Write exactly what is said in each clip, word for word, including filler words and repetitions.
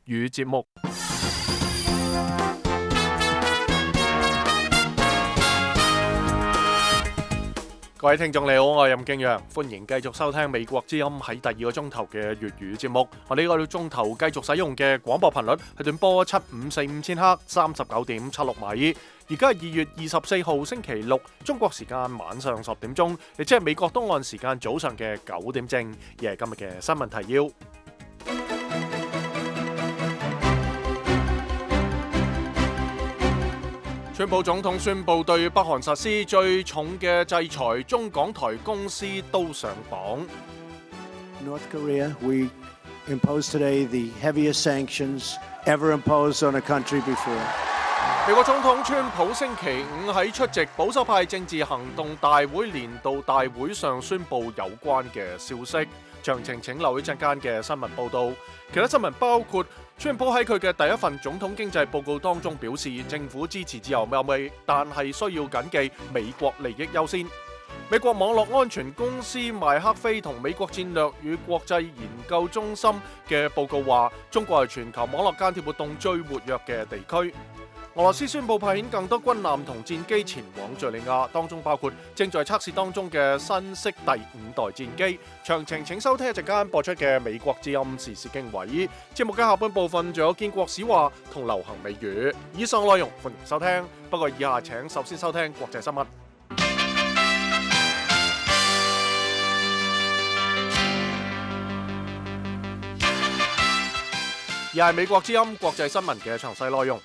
語節目。各位聽眾你好，我係任敬陽，歡迎繼續收聽美國之音喺第二個鐘頭嘅粵語節目。我哋呢個鐘頭繼續使用嘅廣播頻率係短波七五四五千赫，三十九點七六米。而家係二月二十四號星期六，中國時間晚上十點鐘，亦即係美國東岸時間早上嘅九點正，而係今日嘅新聞提要。川普總統宣布對北韓實施最重嘅制裁，中港台公司都上榜。North Korea, we impose today the heaviest sanctions ever imposed on a country before. 美國總統川普星期五喺出席保守派政治行動大會年度大會上宣布有關嘅消息。詳情請留意陣間嘅新聞報導。其他新聞包括川普喺佢嘅第一份總統經濟報告當中表示，政府支持自由貿易，但係需要緊記美國利益優先。美國網絡安全公司麥克菲同美國戰略與國際研究中心嘅報告話，中國係全球網絡間諜活動最活躍嘅地區。俄羅斯宣布派遣更多軍艦同戰機前往敘利亞，當中包括正在測試當中嘅新式第五代戰機。詳情請收聽一陣間播出嘅美國之音時事經緯。節目嘅下半部分仲有建國史話同流行美語。以上內容歡迎收聽，不過以下請首先收聽國際新聞。而係美國之音國際新聞嘅詳細內容。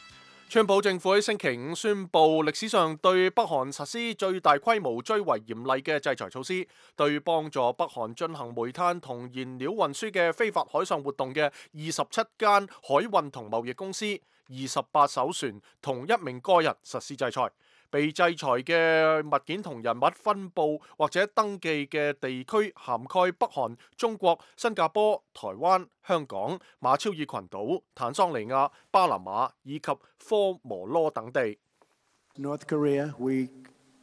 川普政府喺星期五宣布，歷史上對北韓實施最大規模、最為嚴厲嘅制裁措施，對幫助北韓進行煤炭同燃料運輸嘅非法海上活動嘅二十七間海運同貿易公司、二十八艘船同一名個人實施制裁。被制裁嘅物件同人物分佈或者登記嘅地區涵蓋北韓、中國、新加坡、台灣、香港、馬紹爾群島、坦桑尼亞、巴拿馬以及科摩羅等地。North Korea, we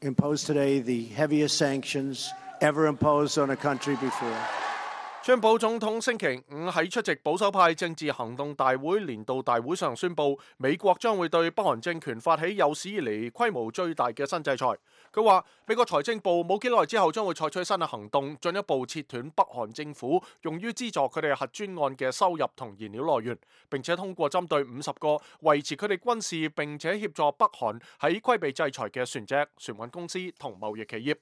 impose today the heaviest sanctions ever imposed on a country before. 川普總統星期五喺出席保守派政治行動大會年度大會上宣布，美國將會對北韓政權發起有史以嚟規模最大嘅新制裁。佢話美國財政部冇幾耐之後將會採取新嘅行動，進一步切斷北韓政府用於資助佢哋核專案嘅收入同燃料來源，並且通過針對五十個維持佢哋軍事並且協助北韓喺規避制裁嘅船隻、船運公司同貿易企業。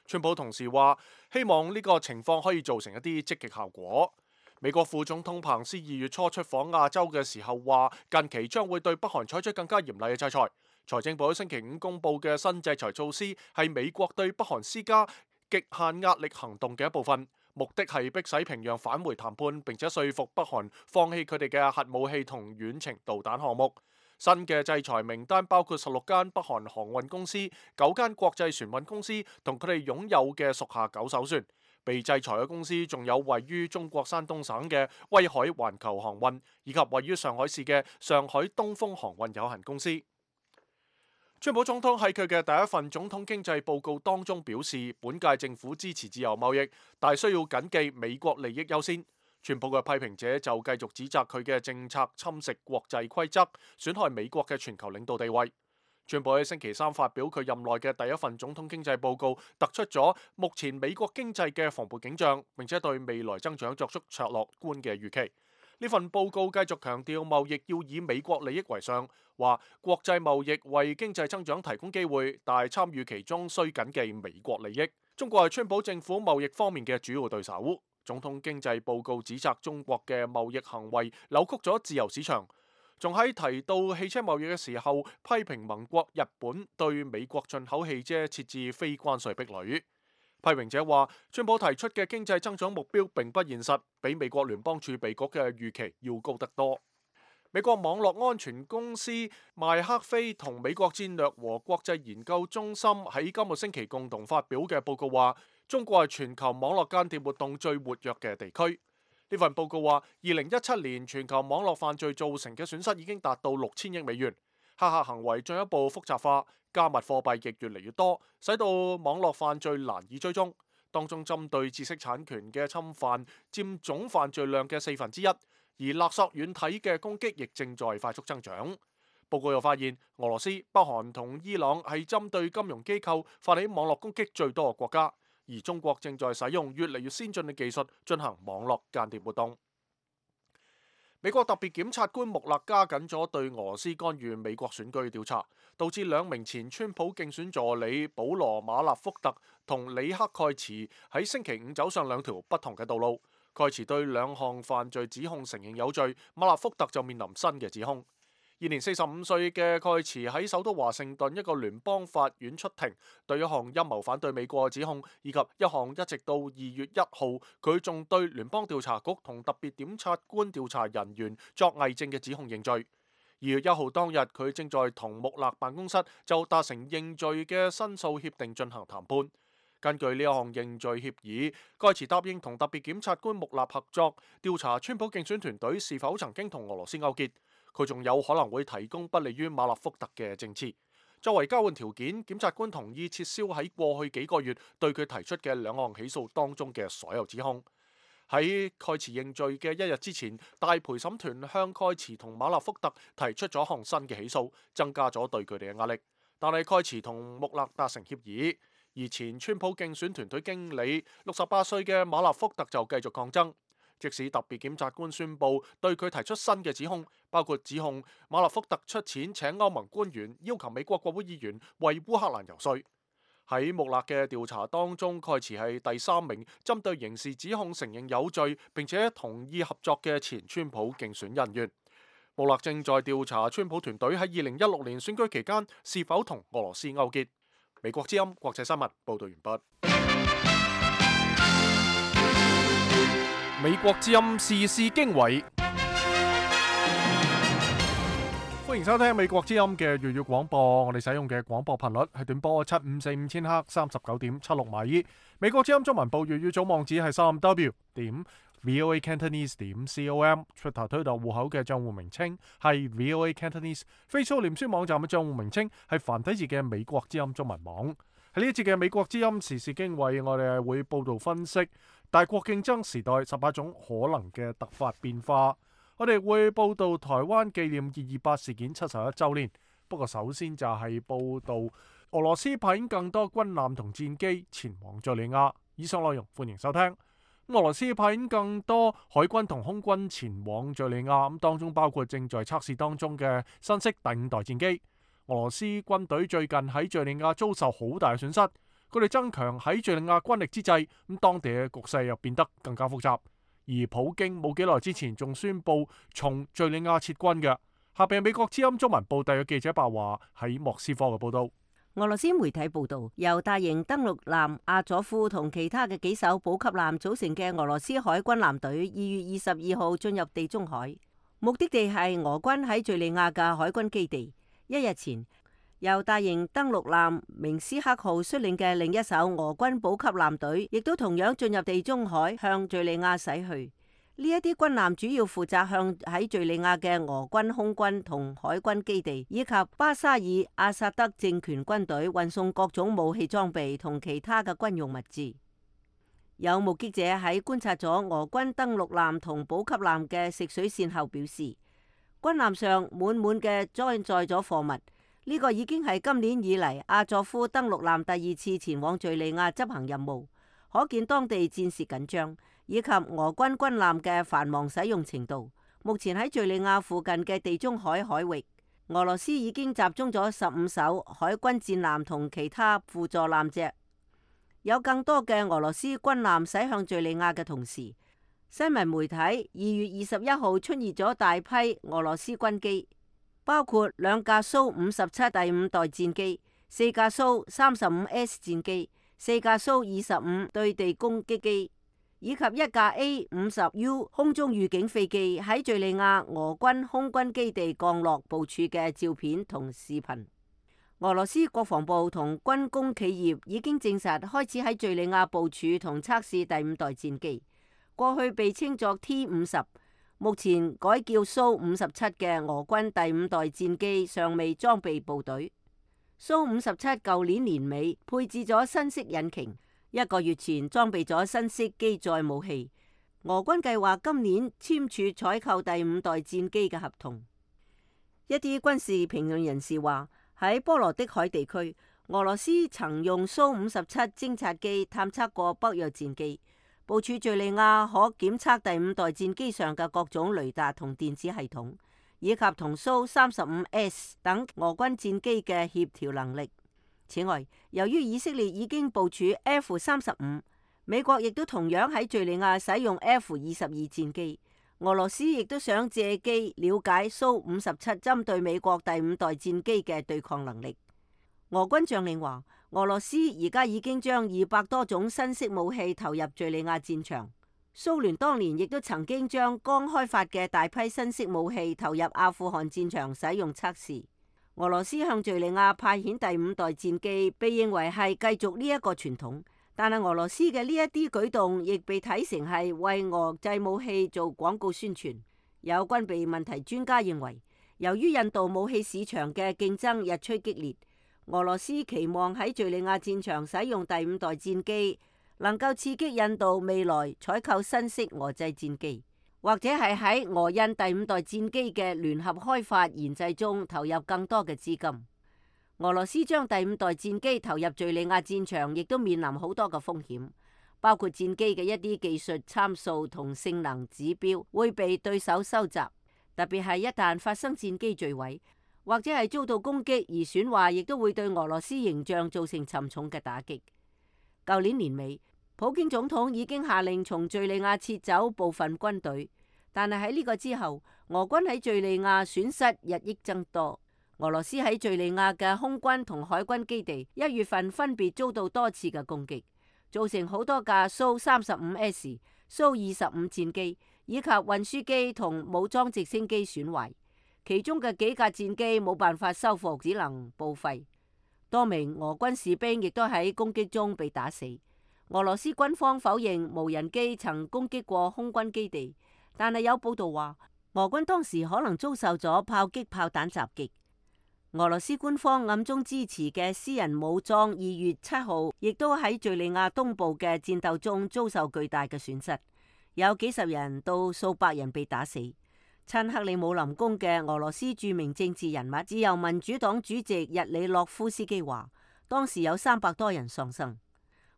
川普同時話，希望呢個情況可以造成一啲積極效果。美國副總統彭斯二月初出訪亞洲嘅時候話，近期將會對北韓採取更加嚴厲嘅制裁。財政部喺星期五公布嘅新制裁措施係美國對北韓施加極限壓力行動嘅一部分，目的係迫使平壤返回談判，並且說服北韓放棄佢哋嘅核武器同遠程導彈項目。新嘅制裁名單包括十六間北韓航運公司、九間國際船運公司同佢哋擁有嘅屬下九艘船。被制裁嘅公司仲有位於中國山東省嘅威海環球航運，以及位於上海市嘅上海東風航運有限公司。川普總統喺佢嘅第一份總統經濟報告當中表示，本屆政府支持自由貿易，但需要緊記美國利益優先。川普嘅批評者就繼續指責佢嘅政策侵蝕國際規則，損害美國嘅全球領導地位。川普喺星期三發表佢任內嘅第一份總統經濟報告，突出咗目前美國經濟嘅蓬勃景象，並且對未來增長作出卓樂觀嘅預期。呢份報告繼續強調貿易要以美國利益為上，話國際貿易為經濟增長提供機會，但係參與其中需緊記美國利益。中國係川普政府貿易方面嘅主要對手。總統經濟報告指責中國嘅貿易行為扭曲咗自由市場，仲喺提到汽車貿易嘅時候批評盟國日本對美國進口汽車設置非關稅壁壘。批評者話，川普提出嘅經濟增長目標並不現實，比美國聯邦儲備局嘅預期要高得多。美國網絡安全公司麥克菲同美國戰略和國際研究中心喺今個星期共同發表嘅報告話，中國係全球網絡間諜活動最活躍嘅地區。呢份報告話，二零一七年全球網絡犯罪造成嘅損失已經達到六千億美元，黑客行為進一步複雜化，加密貨幣亦越嚟越多，使到網絡犯罪難以追蹤。當中針對知識產權嘅侵犯佔總犯罪量嘅四分之一，而勒索軟體嘅攻擊亦正在快速增長。報告又發現，俄羅斯、北韓同伊朗係針對金融機構發起網絡攻擊最多嘅國家，而中國正在使用越嚟越先進嘅技術進行網絡間諜活動。美國特別檢察官穆勒加緊咗對俄羅斯干預美國選舉調查，導致兩名前川普競選助理保羅馬納福特同里克蓋茨喺星期五走上兩條不同嘅道路。蓋茨對兩項犯罪指控承認有罪，馬納福特就面臨新嘅指控。現年四十五歲嘅蓋茨喺首都華盛頓一個聯邦法院出庭，對一項陰謀反對美國嘅指控，以及一項一直到二月一號佢仲對聯邦調查局同特別檢察官調查人員作偽證嘅指控認罪。二月一號當日，佢正在同穆勒辦公室就達成認罪嘅申訴協定進行談判。根據呢一項認罪協議，蓋茨答應同特別檢察官穆勒合作，調查川普競選團隊是否曾經同俄羅斯勾結。佢仲有可能會提供不利於馬納福特嘅證詞。作為交換條件，檢察官同意撤銷喺過去幾個月對佢提出嘅兩項起訴當中嘅所有指控。喺蓋茨認罪嘅一日之前，大陪審團向蓋茨同馬納福特提出咗一項新嘅起訴，增加咗對佢哋嘅壓力。但係蓋茨同穆勒達成協議，而前川普競選團隊經理六十八歲嘅馬納福特就繼續抗爭。即使特別檢察官宣布對佢提出新嘅指控，包括指控馬納福特出錢請歐盟官員要求美國國會議員為烏克蘭游說。喺穆勒嘅調查當中，蓋茨係第三名針對刑事指控承認有罪並且同意合作嘅前川普競選人員。穆勒正在調查川普團隊喺二零一六年選舉期間是否同俄羅斯勾結。美國之音國際新聞報道完畢。美國之音時事經緯，歡迎收聽美國之音嘅粵語廣播。我哋使用嘅廣播頻率係短波七五四五千赫三十九點七六米。美國之音中文部粵語總網址係三 w 點 voa cantonese 點 com。Twitter 推特戶口嘅賬戶名稱係 voa cantonese。Facebook 臉書網站嘅賬戶名稱係繁體字嘅美國之音中文網。喺呢一節嘅美國之音時事經緯，我哋係會報道分析大國競爭時代十八種可能嘅突發變化。我哋會報道台灣紀念二二八事件七十一周年。不過首先就係報道俄羅斯派遣更多軍艦同戰機前往敘利亞。以上內容歡迎收聽。俄羅斯派遣更多海軍同空軍前往敘利亞，咁當中包括正在測試當中嘅新式第五代戰機。俄羅斯軍隊最近喺敘利亞遭受好大嘅損失，佢哋增強喺敘利亞軍力之際，咁當地嘅局勢又變得更加複雜。而普京冇幾耐之前仲宣布從敘利亞撤軍嘅。下邊美國之音中文部特約記者白華喺莫斯科嘅報道。俄羅斯媒體報道，由大型登陸艦阿佐夫同其他嘅幾艘補給艦組成嘅俄羅斯海軍艦隊，二月二十二號進入地中海，目的地係俄軍喺敘利亞嘅海軍基地。一日前，由大型登陸艦明斯克號率領嘅另一艘俄軍補給艦隊，亦都同樣進入地中海，向敘利亞駛去。呢一啲軍艦主要負責向喺敘利亞嘅俄軍空軍同海軍基地，以及巴沙爾阿薩德政權軍隊運送各種武器裝備同其他嘅軍用物資。有目擊者喺觀察咗俄軍登陸艦同補給艦嘅食水線後表示，軍艦上滿滿嘅裝載咗貨物。呢個已經係今年以嚟阿佐夫登陸艦第二次前往敘利亞執行任務，可見當地戰事緊張，以及俄軍軍艦嘅繁忙使用程度。目前喺敘利亞附近嘅地中海海域，俄羅斯已經集中咗十五艘海軍戰艦同其他輔助艦隻。有更多嘅俄羅斯軍艦駛向敘利亞嘅同時，新聞媒體二月二十一號出現咗大批俄羅斯軍機，包括兩架蘇五十七第五代戰機、四架蘇三十五 S 戰機、四架蘇二十五對地攻擊機，以及一架 A 五十 U 空中預警飛機喺敘利亞俄軍空軍基地降落部署嘅照片同視頻。俄羅斯國防部同軍工企業已經證實開始喺敘利亞部署同測試第五代戰機，過去被稱作 T 五十。目前改叫蘇五十七嘅俄軍第五代戰機尚未裝備部隊。蘇五十七舊年年尾配置咗新式引擎，一個月前裝備咗新式機載武器。俄軍計劃今年簽署採購第五代戰機嘅合同。一啲軍事評論人士話，喺波羅的海地區，俄羅斯曾用蘇五十七偵察機探測過北約戰機，部署敘利亞可檢測第五代戰機上嘅各種雷達同電子系統，以及同蘇三十五 S 等俄軍戰機嘅協調能力。此外，由於以色列已經部署 F 三十五，美國亦都同樣喺敘利亞使用 F 二十二戰機，俄羅斯亦都想借機了解蘇五十七針對美國第五代戰機嘅對抗能力。俄軍將領話，俄羅斯而家已經將二百多種新式武器投入敘利亞戰場。蘇聯當年亦都曾經將剛開發嘅大批新式武器投入阿富汗戰場使用測試。俄羅斯向敘利亞派遣第五代戰機，被認為係繼續呢一個傳統。但係俄羅斯嘅呢一啲舉動，亦被睇成係為俄製武器做廣告宣傳。有軍備問題專家認為，由於印度武器市場嘅競爭日趨激烈，俄羅斯期望喺敘利亞戰場使用第五代戰機，能夠刺激印度未來採購新式俄製戰機，或者係喺俄印第五代戰機嘅聯合開發研製中投入更多嘅資金。俄羅斯將第五代戰機投入敘利亞戰場，亦都面臨好多嘅風險，包括戰機嘅一啲技術參數同性能指標會被對手收集，特別係一旦發生戰機墜毀，或者係遭到攻擊而損壞，亦都會對俄羅斯形象造成沉重嘅打擊。舊年年尾，普京總統已經下令從敘利亞撤走部分軍隊，但係喺呢個之後，俄軍喺敘利亞損失日益增多。俄羅斯喺敘利亞嘅空軍同海軍基地一月份分別遭到多次嘅攻擊，造成好多架蘇三十五 S、蘇二十五戰機以及運輸機同武裝直升機損壞，其中嘅幾架戰機冇辦法修復，只能報廢。多名俄軍士兵亦都喺攻擊中被打死。俄羅斯軍方否認無人機曾攻擊過空軍基地，但係有報道話，俄軍當時可能遭受咗炮擊炮彈襲擊。俄羅斯官方暗中支持嘅私人武裝二月七號亦都喺敘利亞東部嘅戰鬥中遭受巨大嘅損失，有幾十人到數百人被打死。親克里姆林宮嘅俄羅斯著名政治人物自由民主黨主席日里諾夫斯基話，當時有三百多人喪生。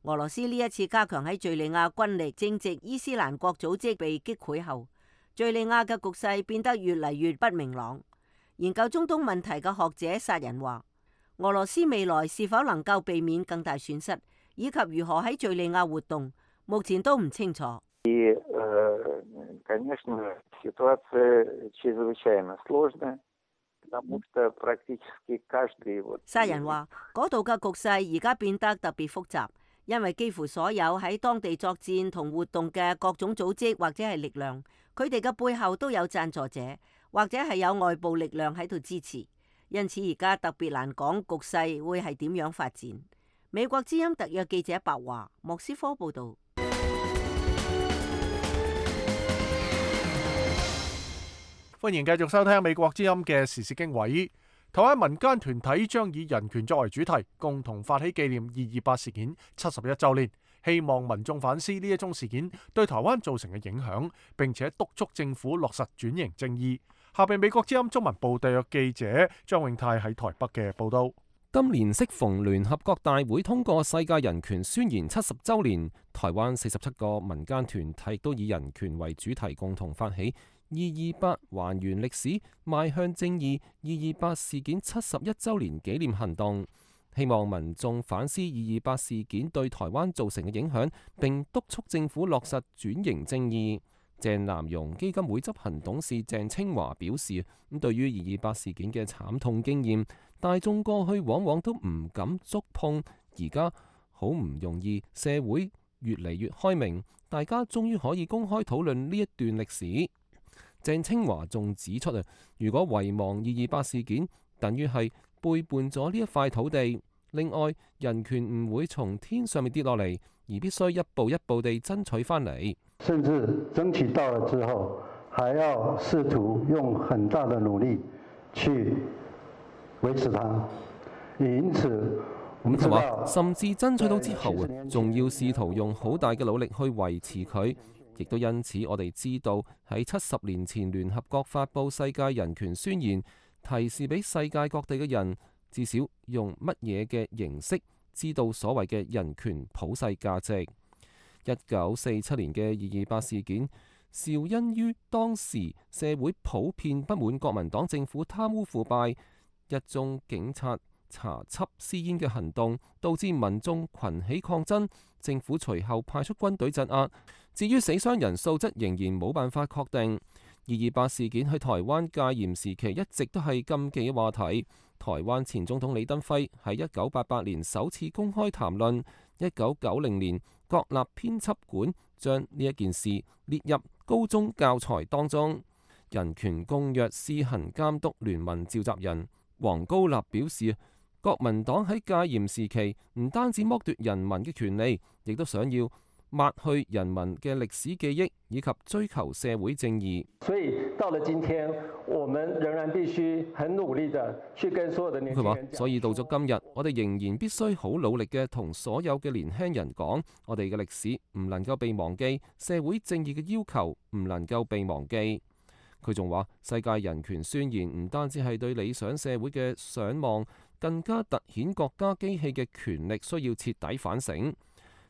俄羅斯呢一次加強喺敘利亞軍力，正值伊斯蘭國組織被擊潰後，敘利亞嘅局勢變得越嚟越不明朗。研究中東問題嘅學者殺人話，俄羅斯未來是否能夠避免更大損失，以及如何喺敘利亞活動，目前都唔清楚。殺人話，嗰度嘅局勢而家變得特別複雜，因為幾乎所有喺當地作戰同活動嘅各種組織或者係力量，佢哋嘅背後都有贊助者，或者係有外部力量喺度支持，因此而家特別難講局勢會係點樣發展。美國之音特約記者白華，莫斯科報道。歡迎繼續收聽美國之音嘅時事經緯。台灣民間團體將以人權作為主題，共同發起紀念二二八事件七十一週年，希望民眾反思呢一宗事件對台灣造成嘅影響，並且督促政府落實轉型正義。下邊美國之音中文部特約記者張永泰喺台北嘅報道。今年適逢聯合國大會通過世界人權宣言七十週年，台灣四十七個民間團體都以人權為主題，共同發起二二八還原歷史，邁向正義二二八事件七十一週年紀念行動，希望民眾反思二二八事件對台灣造成嘅影響，並督促政府落實轉型正義。鄭南榕基金會執行董事鄭清華表示，咁對於二二八事件嘅慘痛經驗，大眾過去往往都唔敢觸碰，而家好唔容易，社會越嚟越開明，大家終於可以公開討論呢一段歷史。鄭清華仲指出啊，如果遺忘二二八事件，等於係背叛咗呢一塊土地。另外，人權唔會從天上面跌落嚟，而必須一步一步地爭取翻嚟。甚至爭取到了之後，還要試圖用很大的努力去維持它。因此，我們知道，甚至爭取到之後，仲要試圖用好大嘅努力去維持佢。亦都因此，我哋知道喺七十年前聯合國發布世界人權宣言，提示俾世界各地嘅人，至少用乜嘢嘅形式知道所謂嘅人權普世價值。一九四七年嘅二二八事件，肇因於當時社會普遍不滿國民黨政府貪污腐敗，一宗警察查緝私煙嘅行動，導致民眾群起抗爭，政府隨後派出軍隊鎮壓。至於死傷人數，則仍然冇辦法確定。二二八事件喺台灣戒嚴時期一直都係禁忌嘅話題。台灣前總統李登輝喺一九八八年首次公開談論，一九九零年國立編輯館將呢一件事列入高中教材當中。人權公約施行監督聯盟召集人黃高立表示，國民黨喺戒嚴時期唔單止剝奪人民嘅權利，亦都想要抹去人民嘅歷史記憶，以及追求社會正義。所以到了今天，我們仍然必須很努力地去跟所有的年輕人講。佢話，所以到咗今日，我哋仍然必須好努力嘅同所有嘅年輕人講，我哋嘅歷史唔能夠被忘記，社會正義嘅要求唔能夠被忘記。佢仲話，世界人權宣言唔單止係對理想社會嘅想望，更加凸顯國家機器嘅權力需要徹底反省。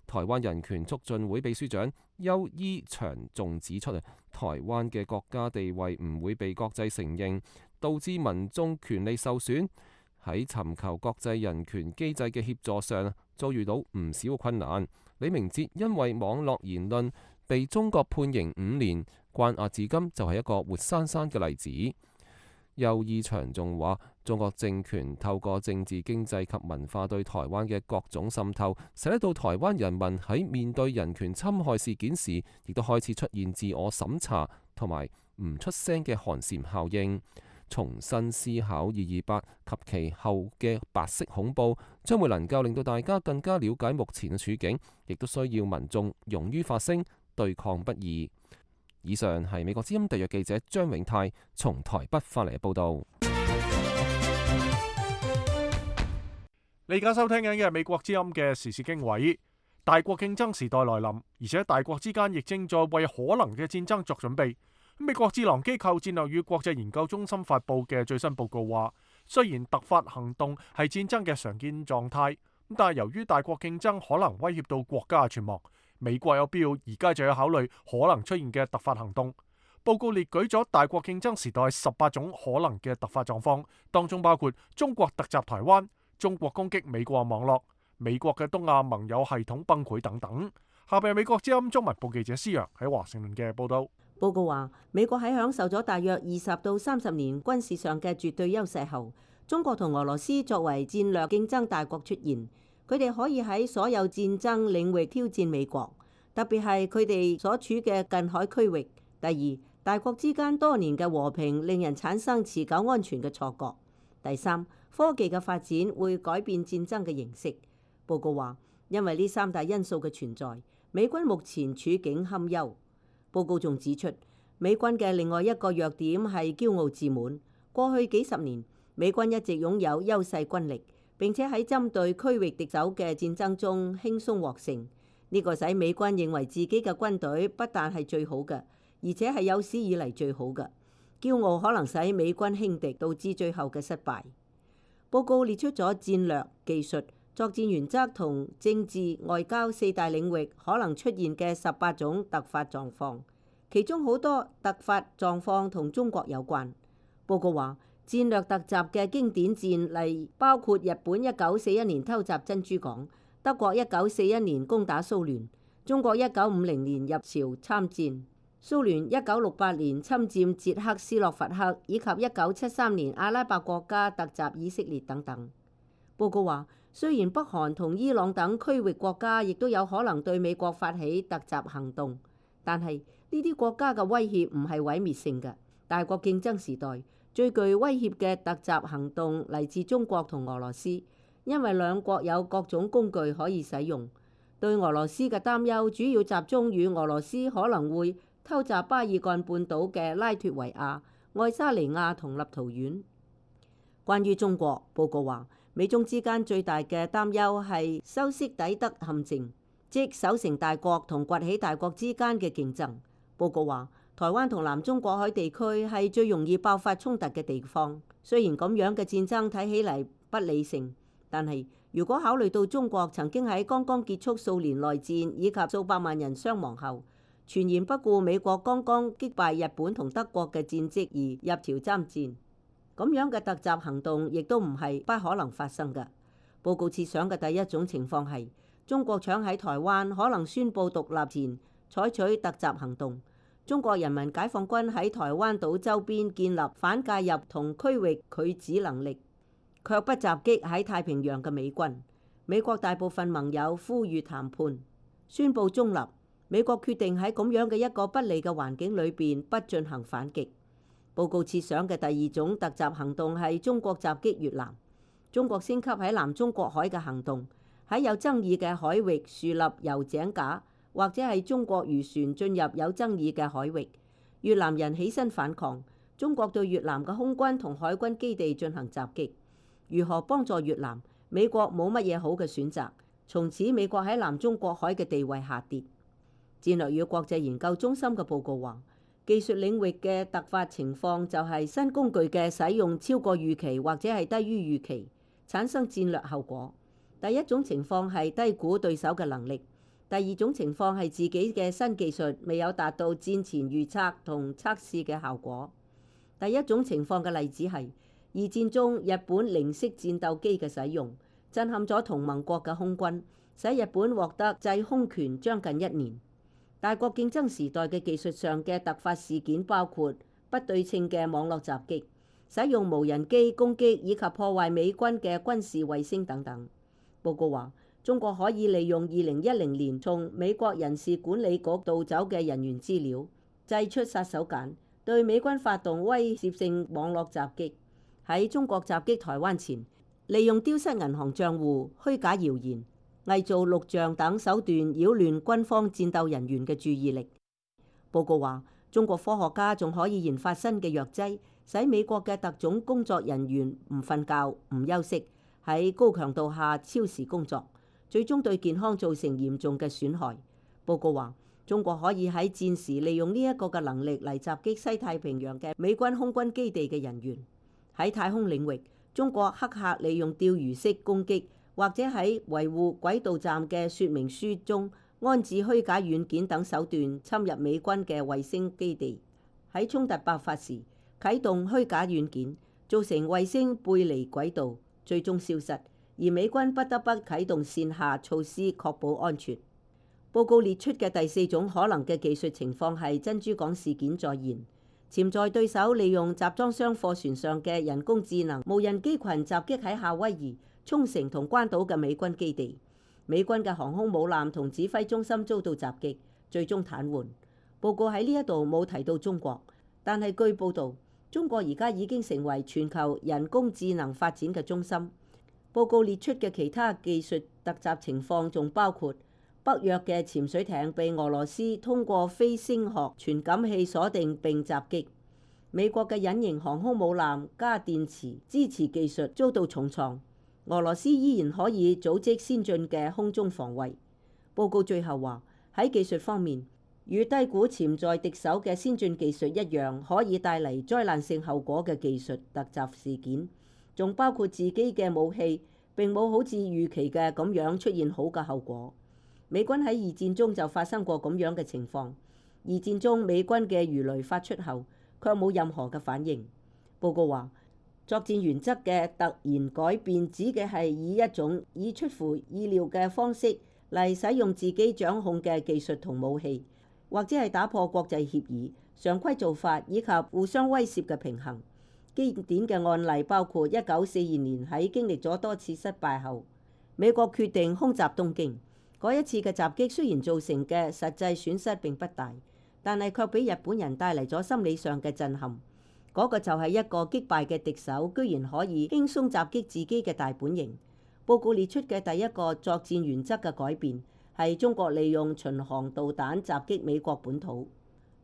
台灣人權促進會秘書長邱伊祥仲指出，台灣嘅國家地位唔會被國際承認，導致民眾權利受損。喺尋求國際人權機制嘅協助上，遭遇到唔少困難。李明哲因為網絡言論被中國判刑五年，關押至今就係一個活生生嘅例子。邱伊祥仲話，中國政權透過政治、經濟及文化對台灣嘅各種滲透，使得到台灣人民喺面對人權侵害事件時，亦都開始出現自我審查同埋唔出聲嘅寒蟬效應。重新思考二二八及其後嘅白色恐怖，將會能夠令到大家更加了解目前嘅處境，亦都需要民眾勇於發聲，對抗不義。以上係美國之音特約記者張永泰從台北發嚟嘅報導。你而家收聽緊嘅係美國之音嘅時事經緯。大國競爭時代來臨，而且大國之間亦正在為可能嘅戰爭作準備。美國智囊機構戰略與國際研究中心發布嘅最新報告話，雖然突發行動係戰爭嘅常見狀態，但係由於大國競爭可能威脅到國家嘅存亡，美國有必要而家就要考慮可能出現嘅突發行動。報告列舉咗大國競爭時代十八種可能嘅突發狀況，當中包括中國突襲台灣、中國攻擊美國網絡、美國嘅東亞盟友系統崩潰等等。下邊係美國之音中文部記者施洋喺華盛頓嘅報道。報告話，美國喺享受咗大約二十到三十年軍事上嘅絕對優勢後，中國同俄羅斯作為戰略競爭大國出現。佢哋可以喺所有戰爭領域挑戰美國，特別係佢哋所處嘅近海區域。第二，大國之間多年嘅和平令人產生持久安全嘅錯覺。第三，科技嘅發展會改變戰爭嘅形式。報告話，因為呢三大因素嘅存在，美軍目前處境堪憂。報告仲指出，美軍嘅另外一個弱點係驕傲自滿。過去幾十年，美軍一直擁有優勢軍力，並且喺針對區域敵手嘅戰爭中輕鬆獲勝，呢個使美軍認為自己嘅軍隊不但係最好嘅，而且係有史以嚟最好嘅。驕傲可能使美軍輕敵，導致最後嘅失敗。報告列出咗戰略、技術、作戰原則同政治、外交四大領域可能出現嘅十八種突發狀況，其中好多突發狀況同中國有關。報告話，戰略突襲嘅經典戰例包括日本一九四一年偷襲珍珠港，德國一九四一年攻打蘇聯，中國一九五零年入朝參戰，蘇聯一九六八年侵佔捷克斯洛伐克，以及一九七三年阿拉伯國家突襲以色列等等。報告話，雖然北韓同伊朗等區域國家亦都有可能對美國發起突襲行動，但係呢啲國家嘅威脅唔係毀滅性嘅。大國競爭時代最具威脅嘅突襲行動嚟自中國同俄羅斯，因為兩國有各種工具可以使用。對俄羅斯嘅擔憂主要集中於俄羅斯可能會偷襲巴爾幹半島嘅拉脫維亞、愛沙尼亞同立陶宛。關於中國，報告話，美中之間最大嘅擔憂係修昔底德陷阱，即守成大國同崛起大國之間嘅競爭。報告話，台灣同南中國海地區係最容易爆發衝突嘅地方。雖然咁樣嘅戰爭睇起嚟不理性，但係如果考慮到中國曾經喺剛剛結束數年內戰以及數百萬人傷亡後，全然不顧美國剛剛擊敗日本同德國嘅戰績而入朝參戰，咁樣嘅突襲行動亦都唔係不可能發生嘅。報告設想嘅第一種情況係中國搶喺台灣可能宣布獨立前採取突襲行動，中國人民解放軍喺台灣島周邊建立反介入同區域拒止能力，卻不襲擊喺太平洋嘅美軍。美國大部分盟友呼籲談判，宣布中立。美國決定喺咁樣嘅一個不利嘅環境裏邊不進行反擊。報告設想嘅第二種突襲行動係中國襲擊越南。中國升級喺南中國海嘅行動，喺有爭議嘅海域樹立油井架，或者係中國漁船進入有爭議嘅海域，越南人起身反抗，中國對越南嘅空軍同海軍基地進行襲擊。如何幫助越南？美國冇乜嘢好嘅選擇。從此美國喺南中國海嘅地位下跌。戰略與國際研究中心嘅報告話，技術領域嘅突發情況就係新工具嘅使用超過預期或者係低於預期，產生戰略後果。第一種情況係低估對手嘅能力，第二種情況係自己嘅新技術未有達到戰前預測同測試嘅效果。第一種情況嘅例子係二戰中日本零式戰鬥機嘅使用，震撼咗同盟國嘅空軍，使日本獲得制空權將近一年。大國競爭時代嘅技術上嘅突發事件包括不對稱嘅網絡襲擊、使用無人機攻擊以及破壞美軍嘅軍事衛星等等。報告話，中國可以利用二零一零年從美國人事管理局盜走嘅人員資料，製出殺手鐧，對美軍發動威懾性網絡襲擊。喺中國襲擊台灣前，利用丟失銀行賬戶、虛假謠言、偽造錄像等手段擾亂軍方戰鬥人員嘅注意力。報告話，中國科學家仲可以研發新嘅藥劑，使美國嘅特種工作人員唔瞓覺、唔休息，喺高強度下超時工作，最終對健康造成嚴重嘅損害。報告話，中國可以喺戰時利用呢一個嘅能力嚟襲擊西太平洋嘅美軍空軍基地嘅人員。喺太空領域，中國黑客利用釣魚式攻擊，或者喺維護軌道站嘅說明書中安置虛假軟件等手段侵入美軍嘅衛星基地。喺衝突爆發時，啟動虛假軟件，造成衛星背離軌道，最終消失，而美軍不得不啟動線下措施確保安全。報告列出嘅第四種可能嘅技術情況係珍珠港事件再現，潛在對手利用集裝箱貨船上嘅人工智能無人機群襲擊喺夏威夷、沖繩同關島嘅美軍基地，美軍嘅航空母艦同指揮中心遭到襲擊，最終癱瘓。報告喺呢一度冇提到中國，但係據報導，中國而家已經成為全球人工智能發展嘅中心。報告列出嘅其他技術突襲情況仲包括北約嘅潛水艇被俄羅斯通過非聲學傳感器鎖定並襲擊，美國嘅隱形航空母艦加電池支持技術遭到重創，俄羅斯依然可以組織先進嘅空中防衛。報告最後話，喺技術方面，與低估潛在敵手嘅先進技術一樣，可以帶嚟災難性後果嘅技術突襲事件，仲包括自己嘅武器並冇好似預期嘅咁樣出現好嘅後果。美軍喺二戰中就發生過咁樣嘅情況，二戰中美軍嘅魚雷發出後卻冇任何嘅反應。報告話，作戰原則嘅突然改變指嘅係以一種以出乎意料嘅方式嚟使用自己掌控嘅技術同武器，或者係打破國際協議、常規做法以及互相威懾嘅平衡。經典嘅案例包括一九四二年喺經歷咗多次失敗後，美國決定空襲東京。嗰一次嘅襲擊雖然造成嘅實際損失並不大，但係卻俾日本人帶嚟咗心理上嘅震撼。嗰、那個就係一個擊敗嘅敵手，居然可以輕鬆襲擊自己嘅大本營。報告列出嘅第一個作戰原則嘅改變係中國利用巡航導彈襲擊美國本土。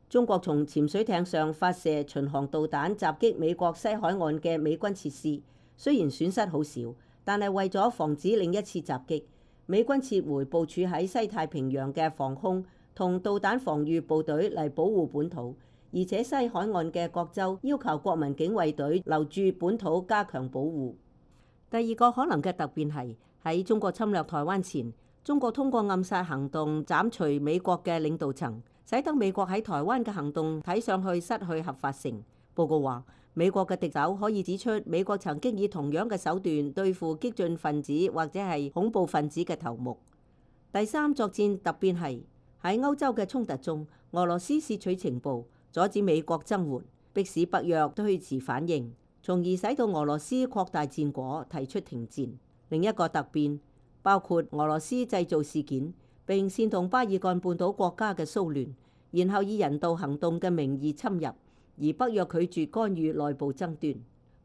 中國從潛水艇上發射巡航導彈襲擊美國西海岸嘅美軍設施，雖然損失好少，但係為咗防止另一次襲擊，美軍撤回部署喺西太平洋嘅防空同導彈防禦部隊嚟保護本土，而且西海岸嘅各州要求國民警衛隊留駐本土加強保護。第二個可能嘅突變係喺中國侵略台灣前，中國通過暗殺行動斬除美國嘅領導層，使得美國喺台灣嘅行動睇上去失去合法性。報告話，美國嘅敵手可以指出美國曾經以同樣嘅手段對付激進分子或者係恐怖分子嘅頭目。第三作戰突變係喺歐洲嘅衝突中，俄羅斯竊取情報，阻止美國增援，迫使北約推遲反應，從而使到俄羅斯擴大戰果，提出停戰。另一個突變包括俄羅斯製造事件，並煽動巴爾幹半島國家嘅騷亂，然後以人道行動嘅名義侵入。而北約拒絕干預內部爭端。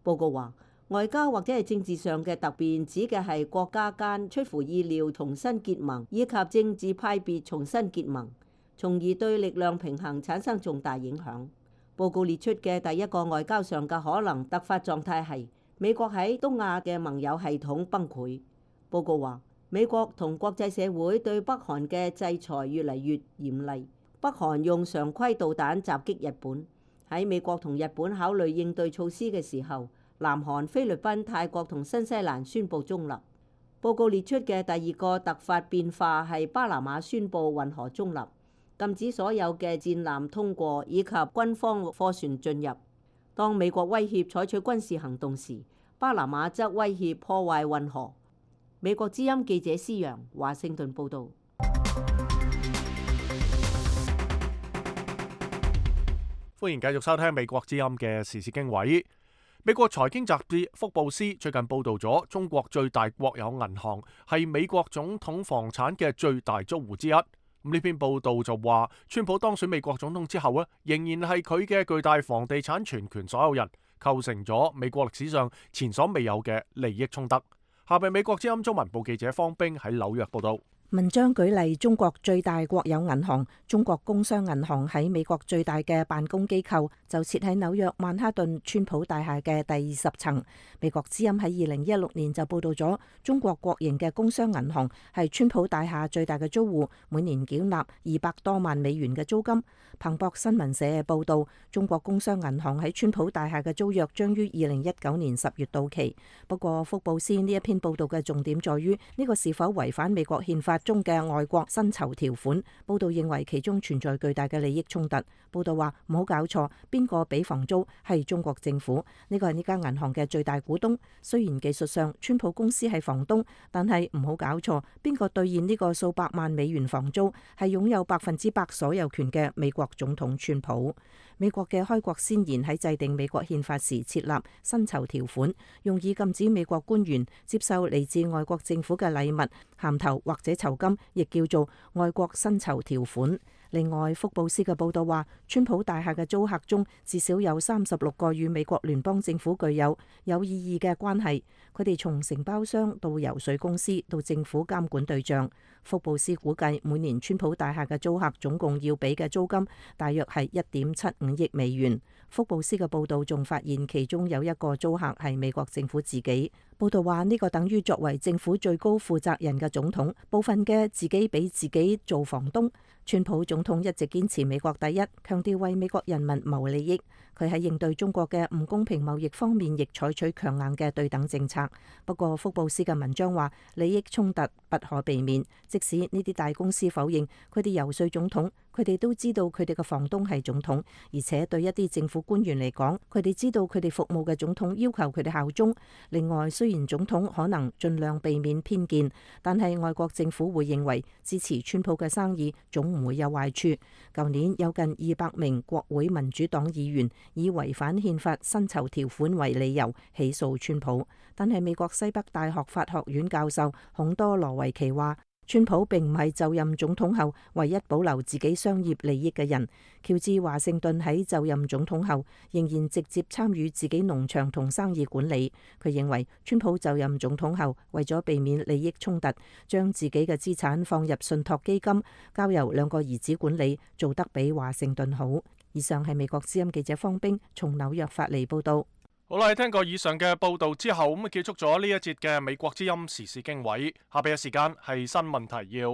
報告話，外交或者係政治上嘅突變，指嘅係國家間出乎意料重新結盟，以及政治派別重新結盟，從而對力量平衡產生重大影響。報告列出嘅第一個外交上嘅可能突發狀態係美國喺東亞嘅盟友系統崩潰。報告話，美國同國際社會對北韓嘅制裁越嚟越嚴厲。北韓用常規導彈襲擊日本。喺美國同日本考慮應對措施嘅時候，南韓、菲律賓、泰國同新西蘭宣布中立。報告列出嘅第二個突發變化係巴拿馬宣布運河中立，禁止所有嘅戰艦通過以及軍方貨船進入。當美國威脅採取軍事行動時，巴拿馬則威脅破壞運河。美國之音記者施揚，華盛頓報導。歡迎繼續收聽美國之音嘅時事經緯。美國財經雜誌福布斯最近報道咗中國最大國有銀行係美國總統房產嘅最大租戶之一。咁呢篇報道就話，川普當選美國總統之後咧，仍然係佢嘅巨大房地產全權所有人，構成咗美國歷史上前所未有嘅利益衝突。下邊美國之音中文部記者方冰喺紐約報道。文章舉例，中國最大國有銀行中國工商銀行喺美國最大嘅辦公機構就設喺紐約曼哈頓川普大廈嘅第二十層。美國之音喺二零一六年就報道咗中國國營嘅工商銀行係川普大廈最大嘅租戶，每年繳納二百多萬美元嘅租金。彭博新聞社報道，中國工商銀行喺川普大廈嘅租約將於二零一九年十月到期。不過福布斯呢一篇報道嘅重點在於呢個是否違反美國憲法中嘅外國薪酬條款。報道認為其中存在巨大嘅利益衝突。報道話唔好搞錯，邊個俾房租係中國政府，呢個係呢間銀行嘅最大股東。雖然技術上川普公司係房東，但係唔好搞錯，邊個兌現呢個數百萬美元房租係擁有百分之百所有權嘅美國總統川普。美國嘅開國先賢喺制定美國憲法時設立薪酬條款，用以禁止美國官員接受嚟自外國政府嘅禮物、銜頭或者酬金，亦叫做外國薪酬條款。另外，福布斯嘅報道話，川普大廈嘅租客中至少有三十六個與美國聯邦政府具有有意義嘅關係，佢哋從承包商到游說公司到政府監管對象。福布斯估計每年川普大廈嘅租客總共要俾嘅租金大約係一點七五億美元。福布斯嘅報道仲發現其中有一個租客係美國政府自己。報道話呢個等於作為政府最高負責人嘅總統，部分嘅自己俾自己做房東。川普總統一直堅持美國第一，強調為美國人民謀利益。佢喺應對中國嘅唔公平貿易方面，亦採取強硬嘅對等政策。不過福布斯嘅文章話，利益衝突不可避免，即使呢啲大公司否認，佢哋游說總統，佢哋都知道佢哋嘅房東係總統，而且對一啲政府官員嚟講，佢哋知道佢哋服務嘅總統要求佢哋效忠。另外，雖然總統可能盡量避免偏見，但係外國政府會認為支持川普嘅生意總唔會有壞處。舊年有近二百名國會民主黨議員以違反憲法薪酬條款為理由起訴川普，但係美國西北大學法學院教授孔多羅維奇話，川普並唔係就任總統後唯一保留自己商業利益嘅人。喬治華盛頓喺就任總統後仍然直接參與自己農場同生意管理。佢認為川普就任總統後為咗避免利益衝突，將自己嘅資產放入信託基金，交由兩個兒子管理，做得比華盛頓好。以上係美國之音記者方冰從紐約發嚟報道。好啦，聽過以上嘅報道之後，咁結束咗呢一節嘅美國之音時事經緯。下邊嘅時間係新聞提要。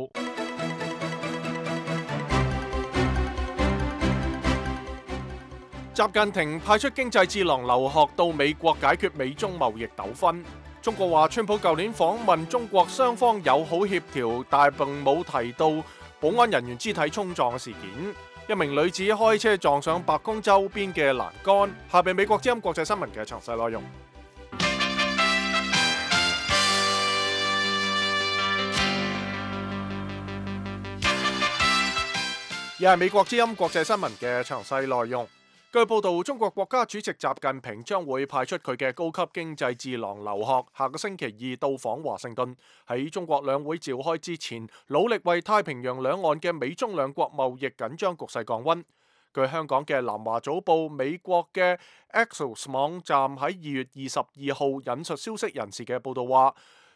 習近平派出經濟智囊劉鶴到美國解決美中貿易糾紛。中國話，川普舊年訪問中國，雙方友好協調，但並冇提到保安人員肢體衝撞嘅事件。一名女子開車撞上白宮周邊嘅欄杆。下邊美國之音國際新聞嘅詳細內容。而係美國之音國際新聞嘅詳細內容。據報道，中國國家主席習近平將會派出佢嘅高級經濟智囊劉鶴，下個星期二到訪華盛頓，喺中國兩會召開之前，努力為太平洋兩岸嘅美中兩國貿易緊張局勢降溫。據香港嘅南華早報、美國嘅 Axios 網站喺二月二十二號引述消息人士嘅報道話，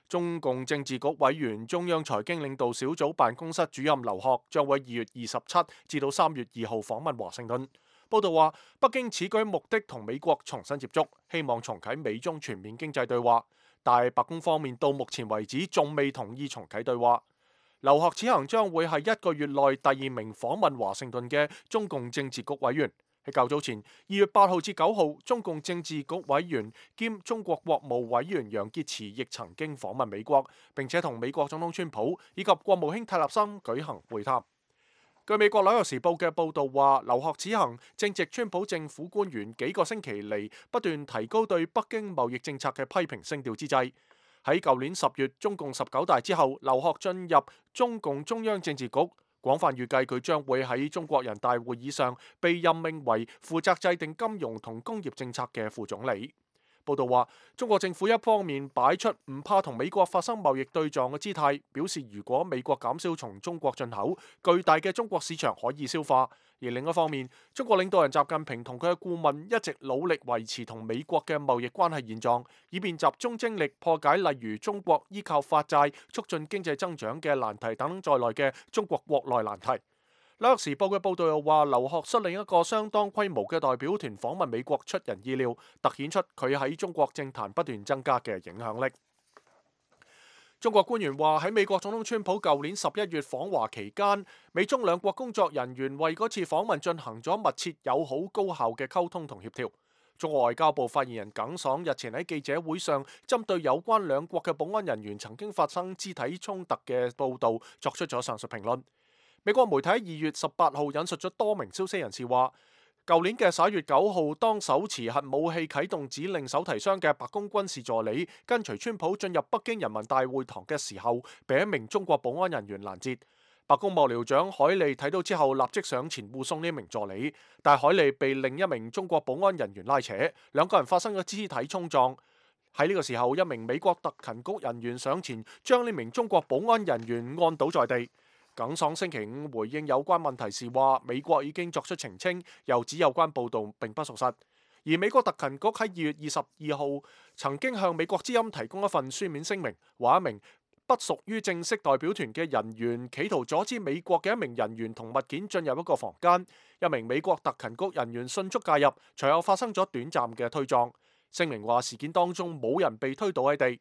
中共政治局委員、中央財經領導小組辦公室主任劉鶴將會二月二十七至到三月二號訪問華盛頓。報道話，北京此舉目的同美國重新接觸，希望重啟美中全面經濟對話，但白宮方面到目前為止仲未同意重啟對話。劉鶴此行將會係一個月內第二名訪問華盛頓嘅中共政治局委員。喺較早前，二月八號至九號，中共政治局委員兼中國國務委員楊潔篪亦曾經訪問美國，並且同美國總統川普以及國務卿泰勒森舉行會談。據美國紐約時報嘅報導話，劉鶴此行正值川普政府官員幾個星期嚟不斷提高對北京貿易政策嘅批評聲調之際。喺舊年十月中共十九大之後，劉鶴進入中共中央政治局，廣泛預計佢將會喺中國人大會議上被任命為負責制定金融同工業政策嘅副總理。報道話，中國政府一方面擺出唔怕同美國發生貿易對撞嘅姿態，表示如果美國減少從中國進口，巨大嘅中國市場可以消化；而另一方面，中國領導人習近平同佢嘅顧問一直努力維持同美國嘅貿易關係現狀，以便集中精力破解例如中國依靠發債促進經濟增長嘅難題等在內嘅中國國內難題。紐約時報嘅報導又話，劉鶴率領一個相當規模嘅代表團訪問美國出人意料，突顯出佢喺中國政壇不斷增加嘅影響力。中國官員話，喺美國總統川普舊年十一月訪華期間，美中兩國工作人員為嗰次訪問進行咗密切、友好、高效嘅溝通同協調。中國外交部發言人耿爽日前喺記者會上針對有關兩國嘅保安人員曾經發生肢體衝突嘅報導作出咗上述評論。美國媒體喺二月十八號引述咗多名消息人士話，舊年嘅十一月九號，當手持核武器啟動指令手提箱嘅白宮軍事助理跟隨川普進入北京人民大會堂嘅時候，被一名中國保安人員攔截。白宮幕僚長海利睇到之後，立即上前護送呢名助理，但海利被另一名中國保安人員拉扯，兩個人發生咗肢體衝撞。喺呢個時候，一名美國特勤局人員上前將呢名中國保安人員按倒在地。耿爽星期五回應有關問題時話，美國已經作出澄清，又指有關報導並不屬實。而美國特勤局喺二月二十二號曾經向美國之音提供一份書面聲明，話一名不屬於正式代表團嘅人員企圖阻止美國嘅一名人員同物件進入一個房間，一名美國特勤局人員迅速介入，隨後發生咗短暫嘅推撞。聲明話事件當中冇人被推倒喺地。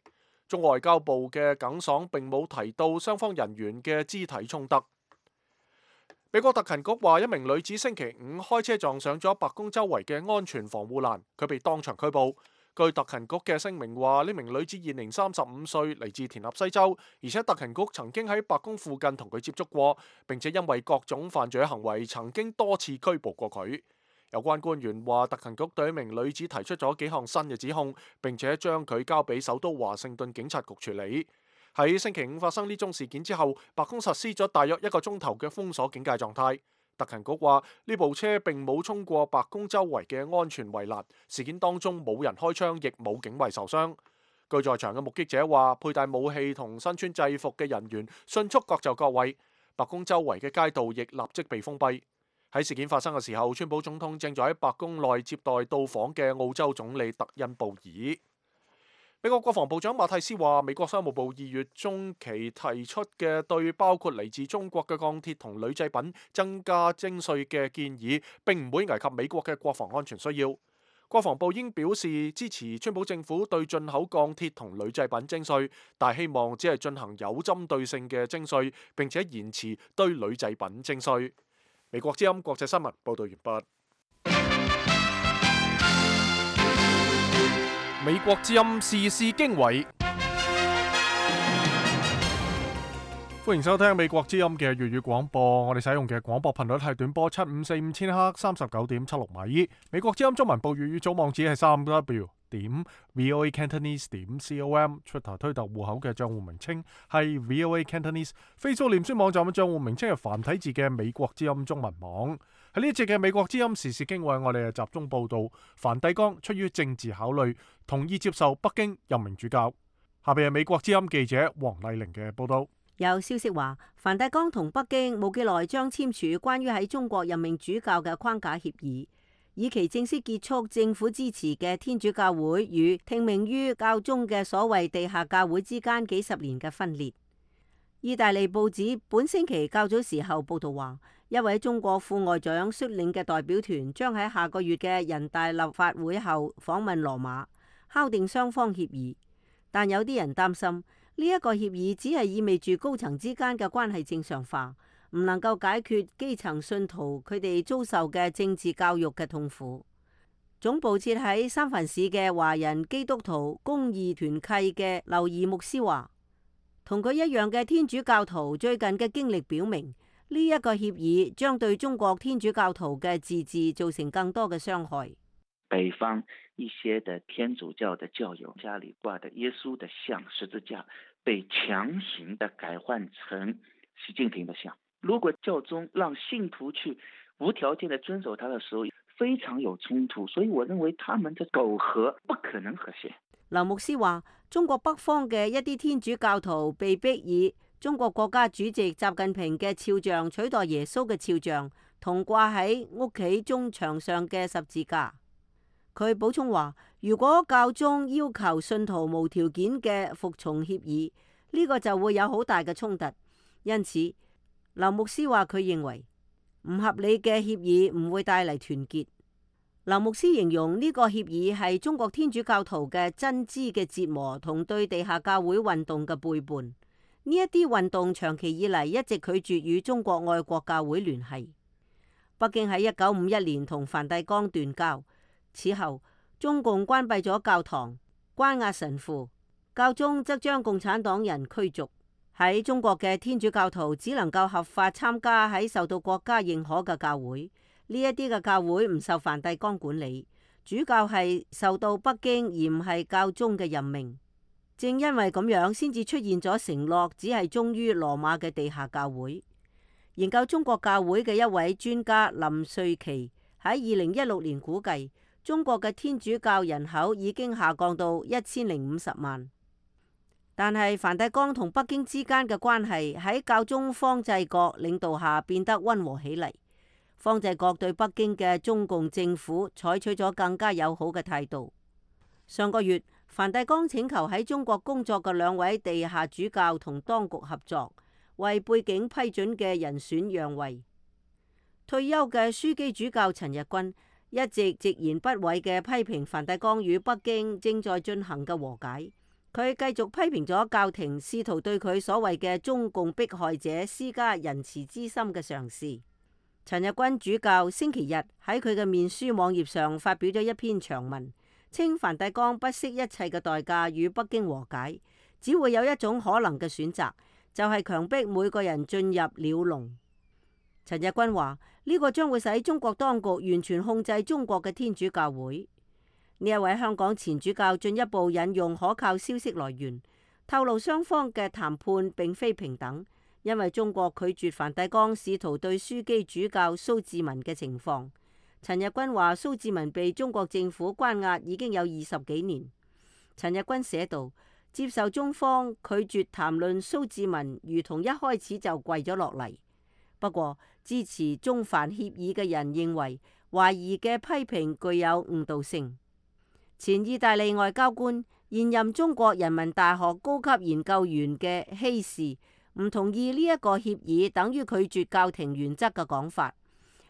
中外交部嘅耿爽並冇提到雙方人員嘅肢體衝突。美國特勤局話，一名女子星期五開車撞上咗白宮周圍嘅安全防護欄，佢被當場拘捕。據特勤局嘅聲明話，呢名女子現年三十五歲，嚟自田納西州，而且特勤局曾經喺白宮附近同佢接觸過，並且因為各種犯罪行為曾經多次拘捕過佢。有關官員話，特勤局對一名女子提出咗幾項新嘅指控，並且將佢交俾首都華盛頓警察局處理。喺星期五發生呢宗事件之後，白宮實施咗大約一個鐘頭嘅封鎖警戒狀態。特勤局話，呢部車並冇衝過白宮周圍嘅安全圍欄，事件當中冇人開槍，亦冇警衛受傷。據在場嘅目擊者話，佩戴武器同身穿制服嘅人員迅速各就各位，白宮周圍嘅街道亦立即被封閉。喺事件發生嘅時候，川普總統正在喺白宮內接待到訪嘅澳洲總理特恩布爾。美國國防部長馬蒂斯話，美國商務部二月中期提出嘅對包括嚟自中國嘅鋼鐵同鋁製品增加徵稅嘅建議，並唔會危及美國嘅國防安全需要。國防部應表示支持川普政府對進口鋼鐵同鋁製品徵稅，但希望只係進行有針對性嘅徵稅，並且延遲對鋁製品徵稅。美國之音國際新聞報道完畢。美國之音時事經緯，歡迎收聽美國之音嘅粵語廣播。我哋使用嘅廣播頻率係短波七五四五千赫三十九點七六米。美國之音中文部粵語組網址係三 w 點 voa cantonese 點 com。Twitter 推特戶口嘅賬戶名稱係 voa cantonese。Facebook 臉書網站嘅賬戶名稱係繁體字嘅美國之音中文網。喺呢一節嘅美國之音時事經緯，我哋係集中報道梵蒂岡出於政治考慮，同意接受北京任命主教。下邊係美國之音記者黃麗玲嘅報道。有消息話，梵蒂岡同北京冇幾耐將簽署關於喺中國任命主教嘅框架協議，以期正式結束政府支持嘅天主教會與聽命於教宗嘅所謂地下教會之間幾十年嘅分裂。意大利報紙本星期較早時候報道話，一位中國副外長率領嘅代表團將喺下個月嘅人大立法會後訪問羅馬，敲定雙方協議。但有啲人擔心，呢一個協議只係意味住高層之間嘅關係正常化，唔能夠解決基層信徒佢哋遭受嘅政治教育嘅痛苦。總部設喺三藩市嘅華人基督徒公義團契嘅劉怡牧師話，同佢一樣嘅天主教徒最近嘅經歷表明，呢一個協議將對中國天主教徒嘅自治造成更多嘅傷害。北方一些的天主教的教友家裏掛的耶穌的像十字架被強行的改換成習近平的像。如果教宗讓信徒去無條件的遵守他的時候，非常有衝突，所以我認為他們的苟合不可能和諧。劉牧師話，中國北方嘅一啲天主教徒被逼以中國國家主席習近平嘅肖像取代耶穌嘅肖像，同掛喺屋企中牆上嘅十字架。佢補充話，如果教宗要求信徒無條件嘅服從協議，呢個就會有好大嘅衝突。因此，劉牧師話佢認為唔合理嘅協議唔會帶嚟團結。劉牧師形容呢個協議係中國天主教徒嘅真知嘅折磨同對地下教會運動嘅背叛。呢一啲運動長期以嚟一直拒絕與中國愛國教會聯繫。北京喺一九五一年同梵蒂岡斷交。此後，中共關閉咗教堂，關押神父，教宗則將共產黨人驅逐。喺中國嘅天主教徒只能夠合法參加喺受到國家認可嘅教會，呢一啲嘅教會唔受梵蒂岡管理，主教係受到北京而唔係教宗嘅任命。正因為咁樣，先至出現咗承諾只係忠於羅馬嘅地下教會。研究中國教會嘅一位專家林瑞琪喺二零一六年估計，中國嘅天主教人口已經下降到一千零五十萬，但係梵蒂岡同北京之間嘅關係喺教宗方濟各領導下變得溫和起嚟。方濟各對北京嘅中共政府採取咗更加友好嘅態度。上個月，梵蒂岡請求喺中國工作嘅兩位地下主教同當局合作，為背景批准嘅人選讓位。退休嘅樞機主教陳日君一直直言不諱嘅批評梵蒂岡與北京正在進行嘅和解，佢繼續批評咗教廷試圖對佢所謂嘅中共迫害者施加仁慈之心嘅嘗試。陳日君主教星期日喺佢嘅面書網頁上發表咗一篇長文，稱梵蒂岡不惜一切嘅代價與北京和解，只會有一種可能嘅選擇，就係強迫每個人進入鳥籠。陳日君話：呢個將會使中國當局完全控制中國嘅天主教會。呢一位香港前主教進一步引用可靠消息來源，透露雙方嘅談判並非平等，因為中國拒絕梵蒂岡試圖對樞機主教蘇志文嘅情況。陳日君話：蘇志文被中國政府關押已經有二十幾年。陳日君寫道：接受中方拒絕談論蘇志文，如同一開始就跪咗落嚟。不過，支持中梵協議嘅人認為，懷疑嘅批評具有誤導性。前意大利外交官、現任中國人民大學高級研究員嘅希士唔同意呢一個協議等於拒絕教廷原則嘅講法。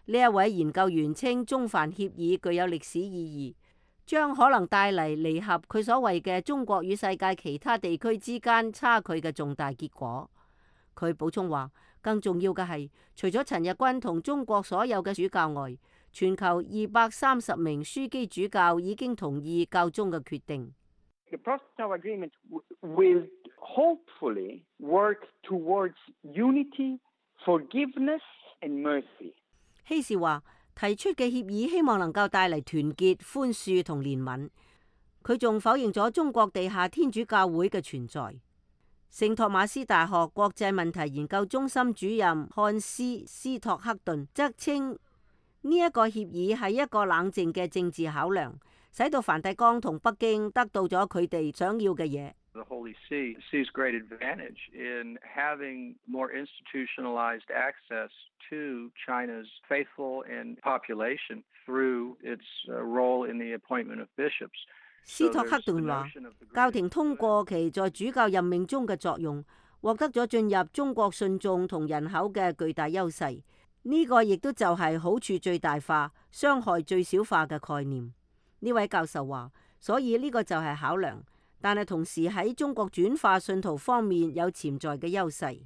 呢一位研究員稱中梵協議具有歷史意義，將可能帶嚟彌合佢所謂嘅中國與世界其他地區之間差距嘅重大結果。佢補充話，更重要嘅係，除咗陳日君同中國所有嘅主教外，全球二百三十名樞機主教已經同意教宗嘅決定。The Protocol Agreement will hopefully work towards unity, forgiveness and mercy. 希士話，提出嘅協議希望能夠帶嚟團結、寬恕同憐憫。佢仲否認咗中國地下天主教會嘅存在。聖托馬斯大學國際問題研究中心主任漢斯斯托克頓則稱，呢一個協議係一個冷靜嘅政治考量，使到梵蒂岡同北京得到咗佢哋想要嘅嘢。The Holy See sees great advantage in having more institutionalized access to China's faithful and population through its role in the appointment of bishops. 斯托克頓話，教廷通過其在主教任命中嘅作用，獲得咗進入中國信眾同人口嘅巨大優勢。呢、這個亦都就係好處最大化、傷害最小化嘅概念。呢位教授話，所以呢個就係考量。但係同時喺中國轉化信徒方面有潛在嘅優勢。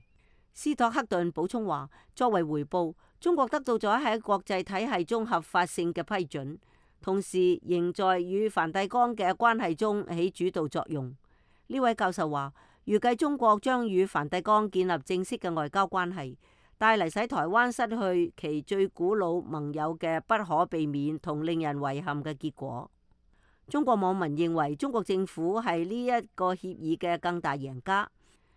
斯托克頓補充話，作為回報，中國得到咗喺國際體系中合法性嘅批准，同時仍在與梵蒂岡嘅關係中起主導作用。呢位教授話，預計中國將與梵蒂岡建立正式嘅外交關係，帶嚟使台灣失去其最古老盟友嘅不可避免同令人遺憾嘅結果。中國網民認為中國政府係呢一個協議嘅更大贏家，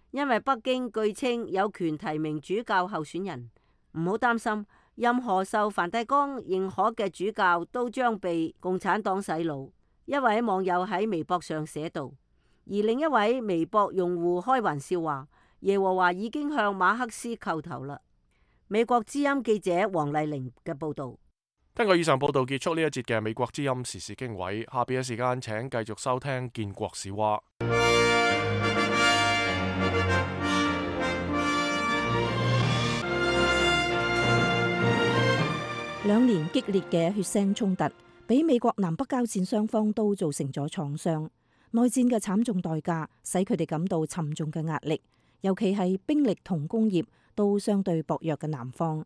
因為北京據稱有權提名主教候選人。唔好擔心，任何受梵蒂岡認可嘅主教都將被共產黨洗腦。一位網友喺微博上寫道，而另一位微博用戶開玩笑話，耶和華已經向馬克思叩頭啦。美國之音記者黃麗玲嘅報道。根據以上報道結束呢一節嘅美國之音時事經緯，下邊嘅時間請繼續收聽建國史話。兩年激烈嘅血腥衝突，俾美國南北交戰雙方都造成咗創傷。內戰嘅慘重代價，使佢哋感到沉重嘅壓力，尤其係兵力同工業都相對薄弱嘅南方。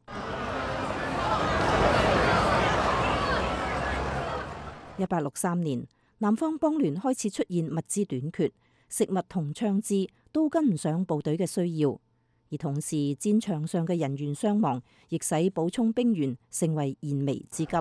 一八六三年，南方邦聯開始出現物資短缺，食物同槍支都跟唔上部隊嘅需要，而同時戰場上嘅人員傷亡，亦使補充兵員成為燃眉之急。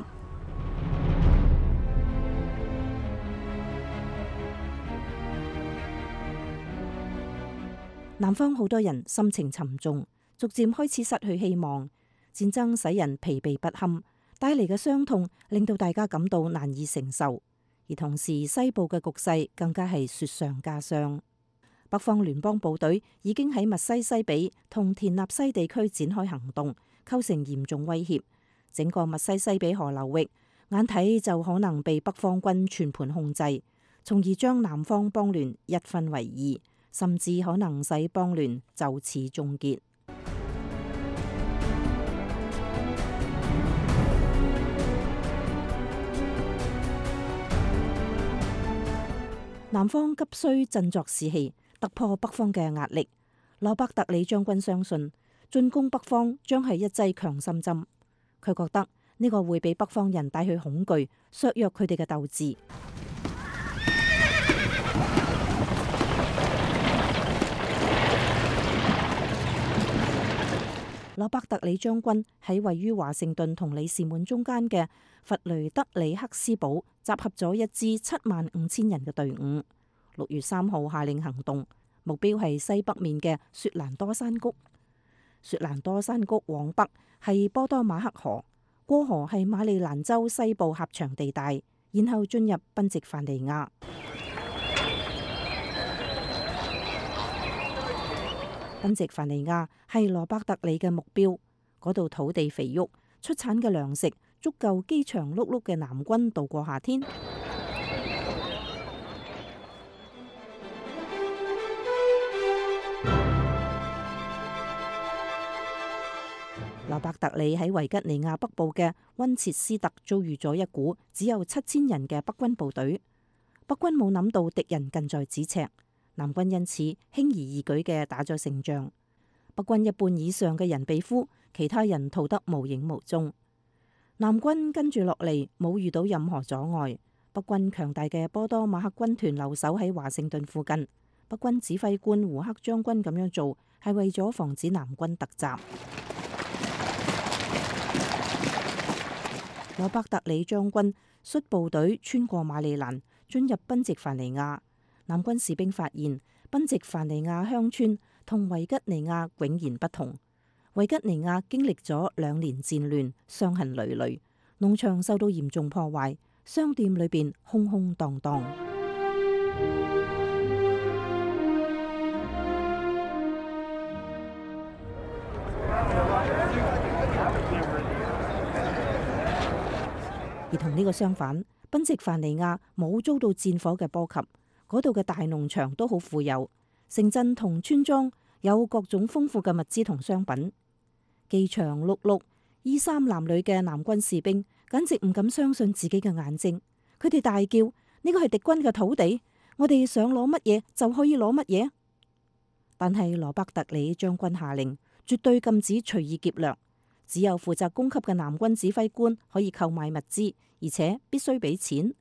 南方好多人心情沉重，逐漸開始失去希望。戰爭使人疲憊不堪，帶嚟嘅傷痛令到大家感到難以承受，而同時西部嘅局勢更加係雪上加霜。北方聯邦部隊已經喺密西西比同田納西地區展開行動，構成嚴重威脅。整個密西西比河流域眼睇就可能被北方軍全盤控制，從而將南方邦聯一分為二，甚至可能使邦聯就此終結。南方急需振作士氣，突破北方嘅壓力。羅伯特里將軍相信進攻北方將係一劑強心針。佢覺得呢個會俾北方人帶去恐懼，削弱佢哋嘅鬥志。羅伯特里將軍喺位於華盛頓同里士滿中間嘅弗雷德里克斯堡集合咗一支七萬五千人嘅隊伍。六月三號下令行動，目標係西北面嘅雪蘭多山谷。雪蘭多山谷往北係波多馬克河，過河係馬里蘭州西部狹長地帶，然後進入賓夕凡尼亞。賓夕凡尼亞係羅伯特里嘅目標，嗰度土地肥沃，出產嘅糧食足夠飢腸轆轆嘅南軍度過夏天。羅羅伯特里喺維吉尼亞北部嘅溫切斯特遭遇咗一股只有七千人嘅北軍部隊，北軍冇諗到敵人近在咫尺，南軍因此輕而易舉嘅打咗勝仗。北軍一半以上嘅人被俘，其他人逃得無影無蹤。南軍跟住落嚟冇遇到任何阻礙，北軍強大嘅波多馬克軍團留守喺華盛頓附近。北軍指揮官胡克將軍咁樣做係為咗防止南軍突襲。羅伯特里將軍率部隊穿過馬里蘭，進入賓夕凡尼亞。南軍士兵發現賓夕凡尼亞鄉村同維吉尼亞迥然不同。維吉尼亞經歷咗兩年戰亂，傷痕累累，農場受到嚴重破壞，商店裏邊空空蕩蕩。而同呢個相反，賓夕凡尼亞冇遭到戰火嘅波及，嗰度嘅大農場都好富有，城鎮同村莊有各種豐富嘅物資同商品。饑腸轆轆、衣衫襤褸嘅南軍士兵簡直唔敢相信自己嘅眼睛，佢哋大叫：呢個係敵軍嘅土地，我哋想攞乜嘢就可以攞乜嘢。但係羅伯特里將軍下令，絕對禁止隨意劫掠。只有負責供給嘅南軍指揮官可以購買物資，而且必須俾錢。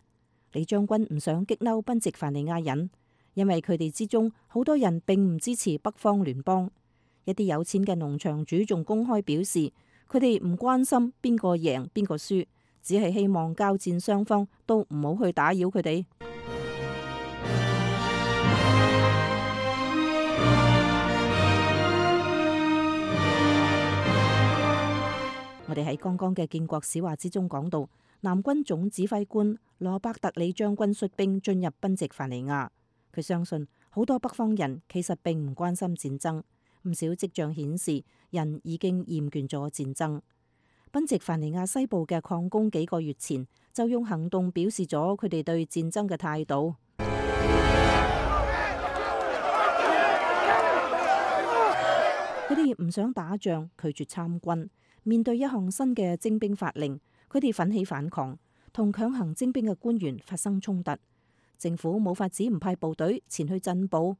李將軍唔想激嬲賓夕凡尼亞人，因為佢哋之中好多人並唔支持北方聯邦。一啲有錢嘅農場主仲公開表示，佢哋唔關心邊個贏邊個輸，只係希望交戰雙方都唔好去打擾佢哋。我哋喺剛剛嘅建國史話之中講到，南軍總指揮官羅伯特里將軍率兵進入賓夕凡尼亞。佢相信好多北方人其實並唔關心戰爭，唔少跡象顯示人已經厭倦咗戰爭。賓夕凡尼亞西部嘅礦工幾個月前就用行動表示咗佢哋對戰爭嘅態度。佢哋唔想打仗，拒絕參軍。面對一項新嘅徵兵法令，佢哋奮起反抗，同強行徵兵嘅官員發生衝突。政府冇法子唔派部隊前去鎮暴。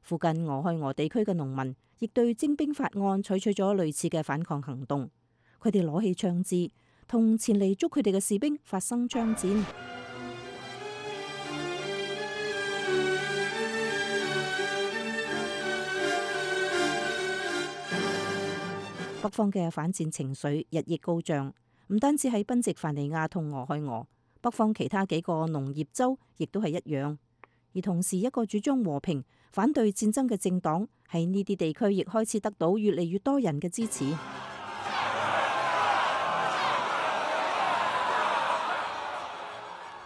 附近俄亥俄地區嘅農民亦對徵兵法案採取咗類似嘅反抗行動。佢哋攞起槍支，同前嚟捉佢哋嘅士兵發生槍戰。北方嘅反戰情緒日益高漲，唔單止喺賓夕凡尼亞同俄亥俄，北方其他幾個農業州亦都係一樣。而同時，一個主張和平、反對戰爭嘅政黨喺呢啲地區亦開始得到越嚟越多人嘅支持。呢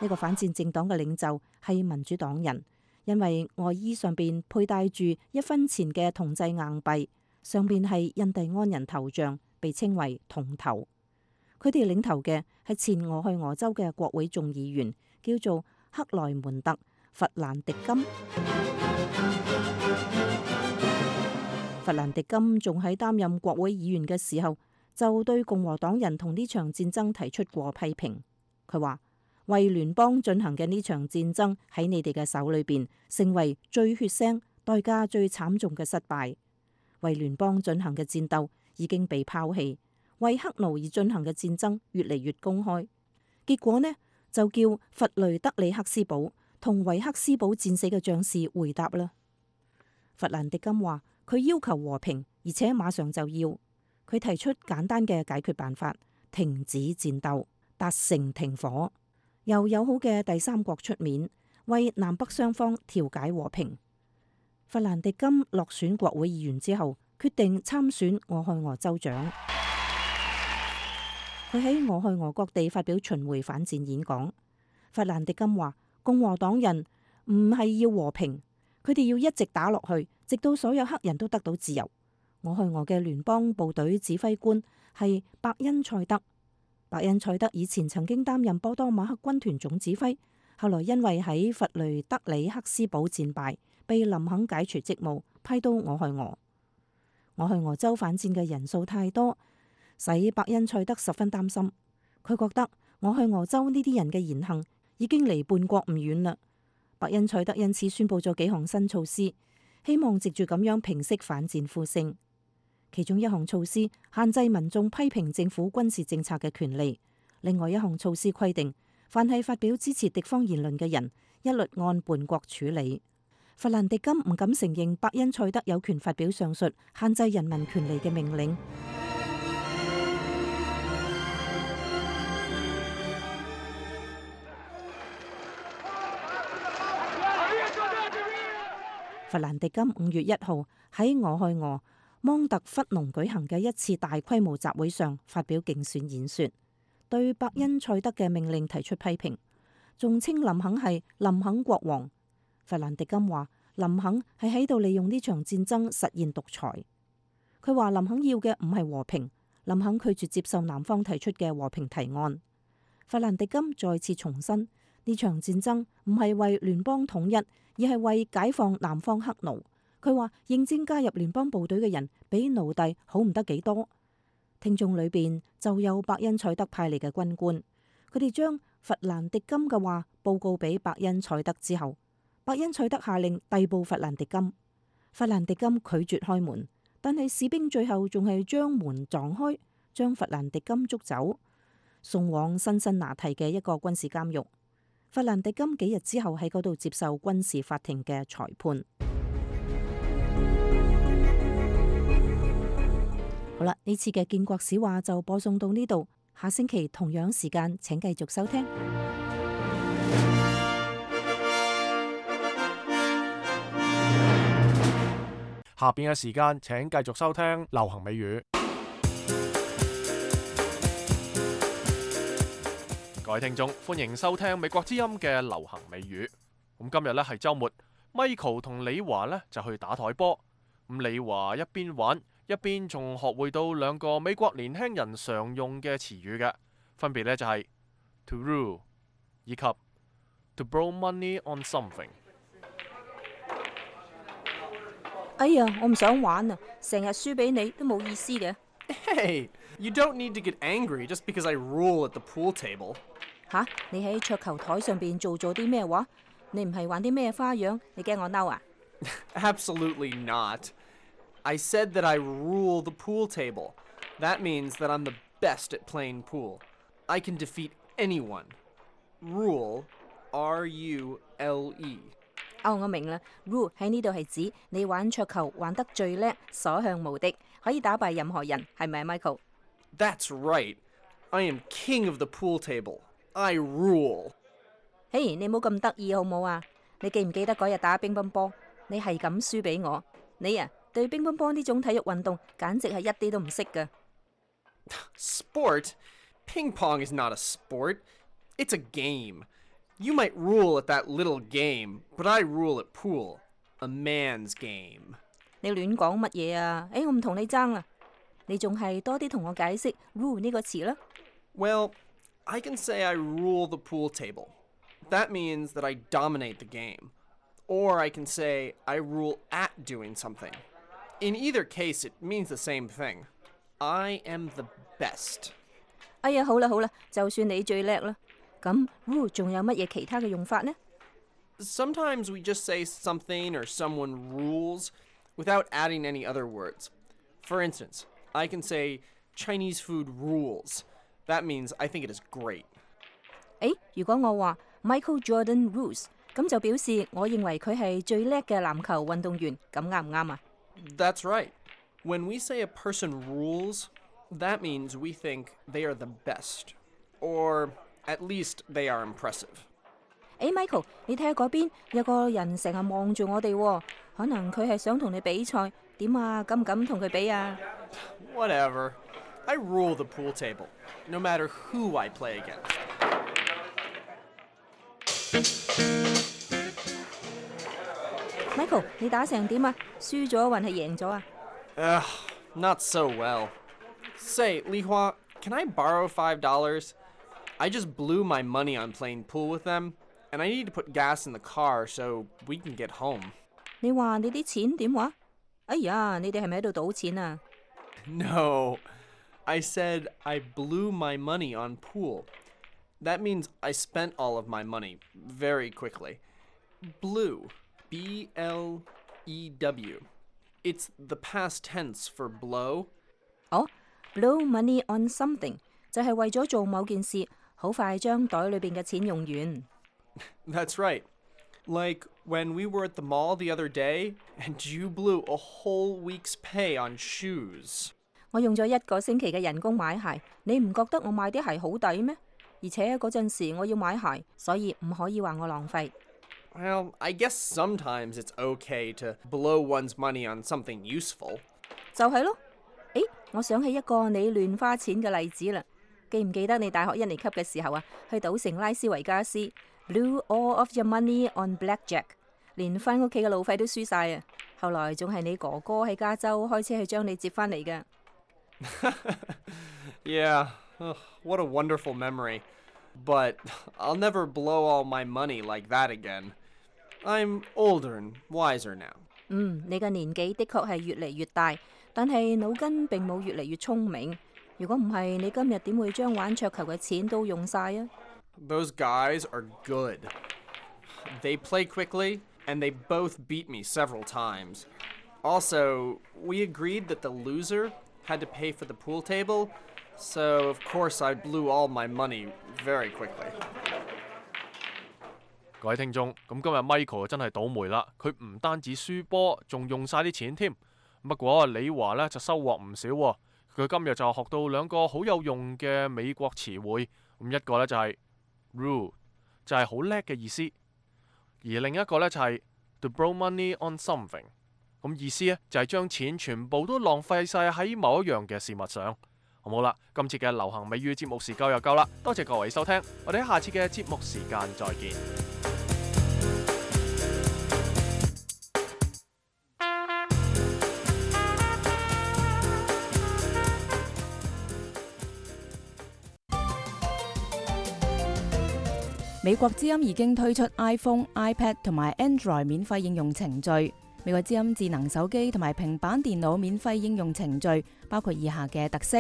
個反戰政黨嘅領袖係民主黨人，因為外衣上邊佩戴住一分錢嘅銅製硬幣。上邊係印第安人頭像，被稱為銅頭。佢哋領頭嘅係前俄亥俄州嘅國會眾議員，叫做克萊門特·弗蘭迪金。弗蘭迪金仲喺擔任國會議員嘅時候，就對共和黨人同呢場戰爭提出過批評。佢話：為聯邦進行嘅呢場戰爭喺你哋嘅手裏邊，成為最血腥、代價最慘重嘅失敗。為聯邦進行嘅戰鬥已經被拋棄，為黑奴而進行嘅戰爭越嚟越公開。結果呢，就叫弗雷德里克斯堡同維克斯堡戰死嘅將士回答啦。弗蘭迪金話：佢要求和平，而且馬上就要。佢提出簡單嘅解決辦法，停止戰鬥，達成停火，由友好嘅第三國出面，為南北雙方調解和平。弗蘭迪金落選國會議員之後，決定參選俄亥俄州長。佢喺俄亥俄各地發表巡迴反戰演講。弗蘭迪金話：共和黨人唔係要和平，佢哋要一直打落去，直到所有黑人都得到自由。俄亥俄嘅聯邦部隊指揮官係伯恩賽德。伯恩賽德以前曾經擔任波多馬克軍團總指揮，後來因為喺弗雷德里克斯堡戰敗，被林肯解除職務，派到俄亥俄。俄亥俄州反戰嘅人數太多，使伯恩賽德十分擔心。佢覺得我去俄州呢啲人嘅言行已經離叛國唔遠啦。伯恩賽德因此宣布咗幾項新措施，希望藉住咁樣平息反戰呼聲。其中一項措施限制民眾批評政府軍事政策嘅權利，另外一項措施規定，凡係發表支持敵方言論嘅人，一律按叛國處理。弗蘭迪金唔敢承認伯恩賽德有權發表上述限制人民權利嘅命令。弗蘭迪金五月一號喺俄亥俄芒特弗農舉行嘅一次大規模集會上發表競選演說，對伯恩賽德嘅命令提出批評，仲稱林肯係林肯國王。弗蘭迪金話林肯係喺度利用呢場戰爭實現獨裁。佢話林肯要嘅唔係和平，林肯拒絕接受南方提出嘅和平提案。弗蘭迪金再次重申，呢場戰爭唔係為聯邦統一，而係為解放南方黑奴。佢話應徵加入聯邦部隊嘅人比奴隸好唔得幾多。聽眾裏邊就有伯恩賽德派嚟嘅軍官，佢哋將弗蘭迪金嘅話報告俾伯恩賽德之後，伯恩賽德下令逮捕弗蘭迪金。弗蘭迪金拒絕開門，但係士兵最後仲係將門撞開，將弗蘭迪金捉走，送往辛辛那提嘅一個軍事監獄。弗蘭迪金幾日之後喺嗰度接受軍事法庭嘅裁判。好啦，呢次嘅建國史話就播送到呢度，下星期同樣時間請繼續收聽。下邊嘅時間請繼續收聽流行美語。各位聽眾，歡迎收聽美國之音嘅流行美語。咁今日呢係週末 ，Michael 同李華呢就去打台波。咁李華一邊玩一邊仲學會到兩個美國年輕人常用嘅詞語嘅，分別呢就係 to rule 以及 to borrow money on something。哎呀，我唔想玩啊！成日輸俾你都冇意思嘅。Hey, you don't need to get angry just because I rule at the pool table. 吓，你喺桌球台上邊做咗啲咩話？你唔係玩啲咩花樣？你驚我嬲啊？ Absolutely not. I said that I rule the pool table. That means that I'm the best at playing pool. I can defeat anyone. Rule, R U L E. 哦，我明啦。Rule 喺呢度係指你玩桌球玩得最叻，所向無敵，可以打敗任何人，係咪 Michael？ That's right. I am king of the pool table. I rule. 嘿，你冇咁得意好冇啊？你記唔記得嗰日打乒乓波，你係咁輸俾我？你啊，對乒乓波呢種體育運動簡直係一啲都唔識㗎。Sport? Ping pong is not a sport. It's a game. You might rule at that little game, but I rule at pool. A man's game. 你亂講乜嘢啊？誒，我唔同你爭啦。你仲係多啲同我解釋 rule 呢個詞啦。Well, I can say I rule the pool table. That means that I dominate the game. Or I can say I rule at doing something. In either case, it means the same thing. I am the best. 哎呀，好啦好啦，就算你最叻啦。咁 rule 仲有乜嘢其他嘅用法呢？ Sometimes we just say something or someone rules without adding any other words. For instance, I can say Chinese food rules. That means I think it is great. 誒，如果我話 Michael Jordan rules， 咁就表示我認為佢係最叻嘅籃球運動員，咁啱唔啱啊？ That's right. When we say a person rules, that means we think they are the best. Or at least they are impressive. 誒 Michael， 你睇下嗰邊有個人成日望住我哋喎，可能佢係想同你比賽，點啊？敢唔敢同佢比啊？ Whatever. I rule the pool table, no matter who I play against. Michael， 你打成點啊？輸咗還係贏咗啊？ Ugh, not so well. Say, Li Hua, can I borrow five dollars? I just blew my money on playing pool with them, and I need to put gas in the car so we can get home. 你話你啲錢點話？哎呀，你哋係咪喺度賭錢啊？ No, I said I blew my money on pool. That means I spent all of my money very quickly. Blew, B L E W. It's the past tense for blow. 哦 blow money on something 就係為咗做某件事，好快將袋裏邊嘅錢用完。That's right. Like when we were at the mall the other day and you blew a whole week's pay on shoes. 我用咗一個星期嘅人工買鞋，你唔覺得我買啲鞋好抵咩？而且嗰陣時我要買鞋，所以唔可以話我浪費。Well, I guess sometimes it's okay to blow one's money on something useful. 就係咯。誒，我想起一個你亂花錢嘅例子啦。記唔記得你大學一年級嘅時候啊，去賭城拉斯維加斯 ，blew all of your money on blackjack， 連返屋企嘅路費都輸晒啊！後來仲係你哥哥喺加州開車去將你接返嚟嘅。Yeah, ugh, what a wonderful memory. But I'll never blow all my money like that again. I'm older and wiser now. 嗯，你嘅年紀的確係越嚟越大，但係腦筋並冇越嚟越聰明。如果唔係，你今日點會將玩桌球嘅錢都用晒啊？ Those guys are good. They play quickly, and they both beat me several times. Also, we agreed that the loser had to pay for the pool table, so of course I blew all my money very quickly. 各位聽眾，咁今日 Michael 真係倒霉啦！佢唔單止輸波，仲用晒啲錢添。不過李華呢就收穫唔少喎。佢今日就學到兩個好有用嘅美國詞彙，咁一個呢就係 rude， 就係好叻嘅意思，而另一個呢就係 to blow money on something， 咁意思呢就係將錢全部都浪費晒喺某一樣嘅事物上。好冇啦，今次嘅流行美語節目時間又夠啦，多謝各位收聽，我哋喺下次嘅節目時間再見。美國之音已經推出 iPhone、iPad 同埋 Android 免費應用程序。美國之音智能手機同埋平板電腦免費應用程序包括以下嘅特色：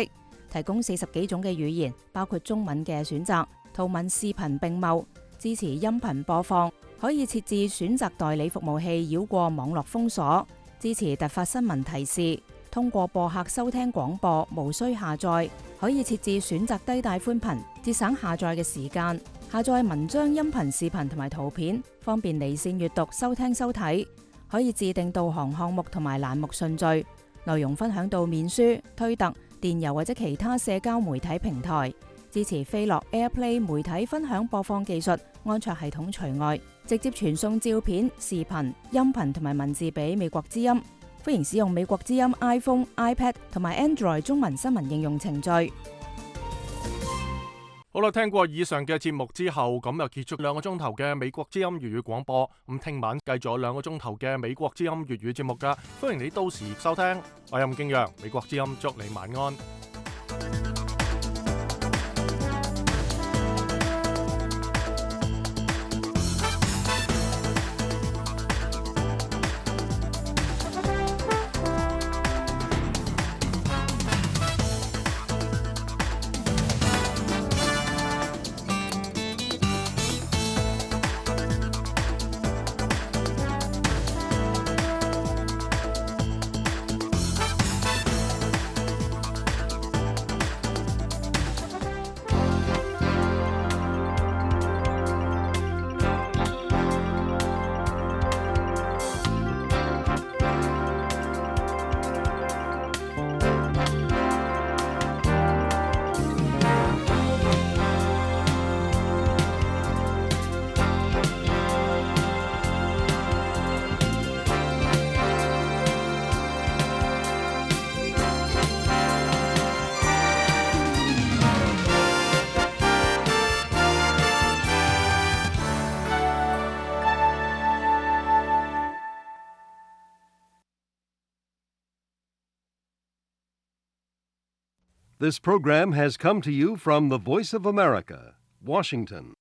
提供四十幾種嘅語言，包括中文嘅選擇，圖文視頻並茂，支持音頻播放，可以設置選擇代理服務器繞過網絡封鎖，支持突發新聞提示，通過播客收聽廣播，無需下載，可以設置選擇低帶寬頻，節省下載嘅時間。下載文章、音頻、視頻同埋圖片，方便離線閱讀、收聽收睇。可以自定導航項目同埋欄目順序，內容分享到面書、推特、電郵或者其他社交媒體平台。支持飛樂 AirPlay 媒體分享播放技術，安卓系統除外。直接傳送照片、視頻、音頻同埋文字俾美國之音。歡迎使用美國之音 iPhone、iPad 同埋 Android 中文新聞應用程序。好啦，聽過以上嘅節目之後，咁又結束兩個鐘頭嘅美國之音粵語廣播。咁聽晚繼續有兩個鐘頭嘅美國之音粵語節目噶，歡迎你到時收聽。我係吳敬陽，美國之音祝你晚安。This program has come to you from the Voice of America, Washington.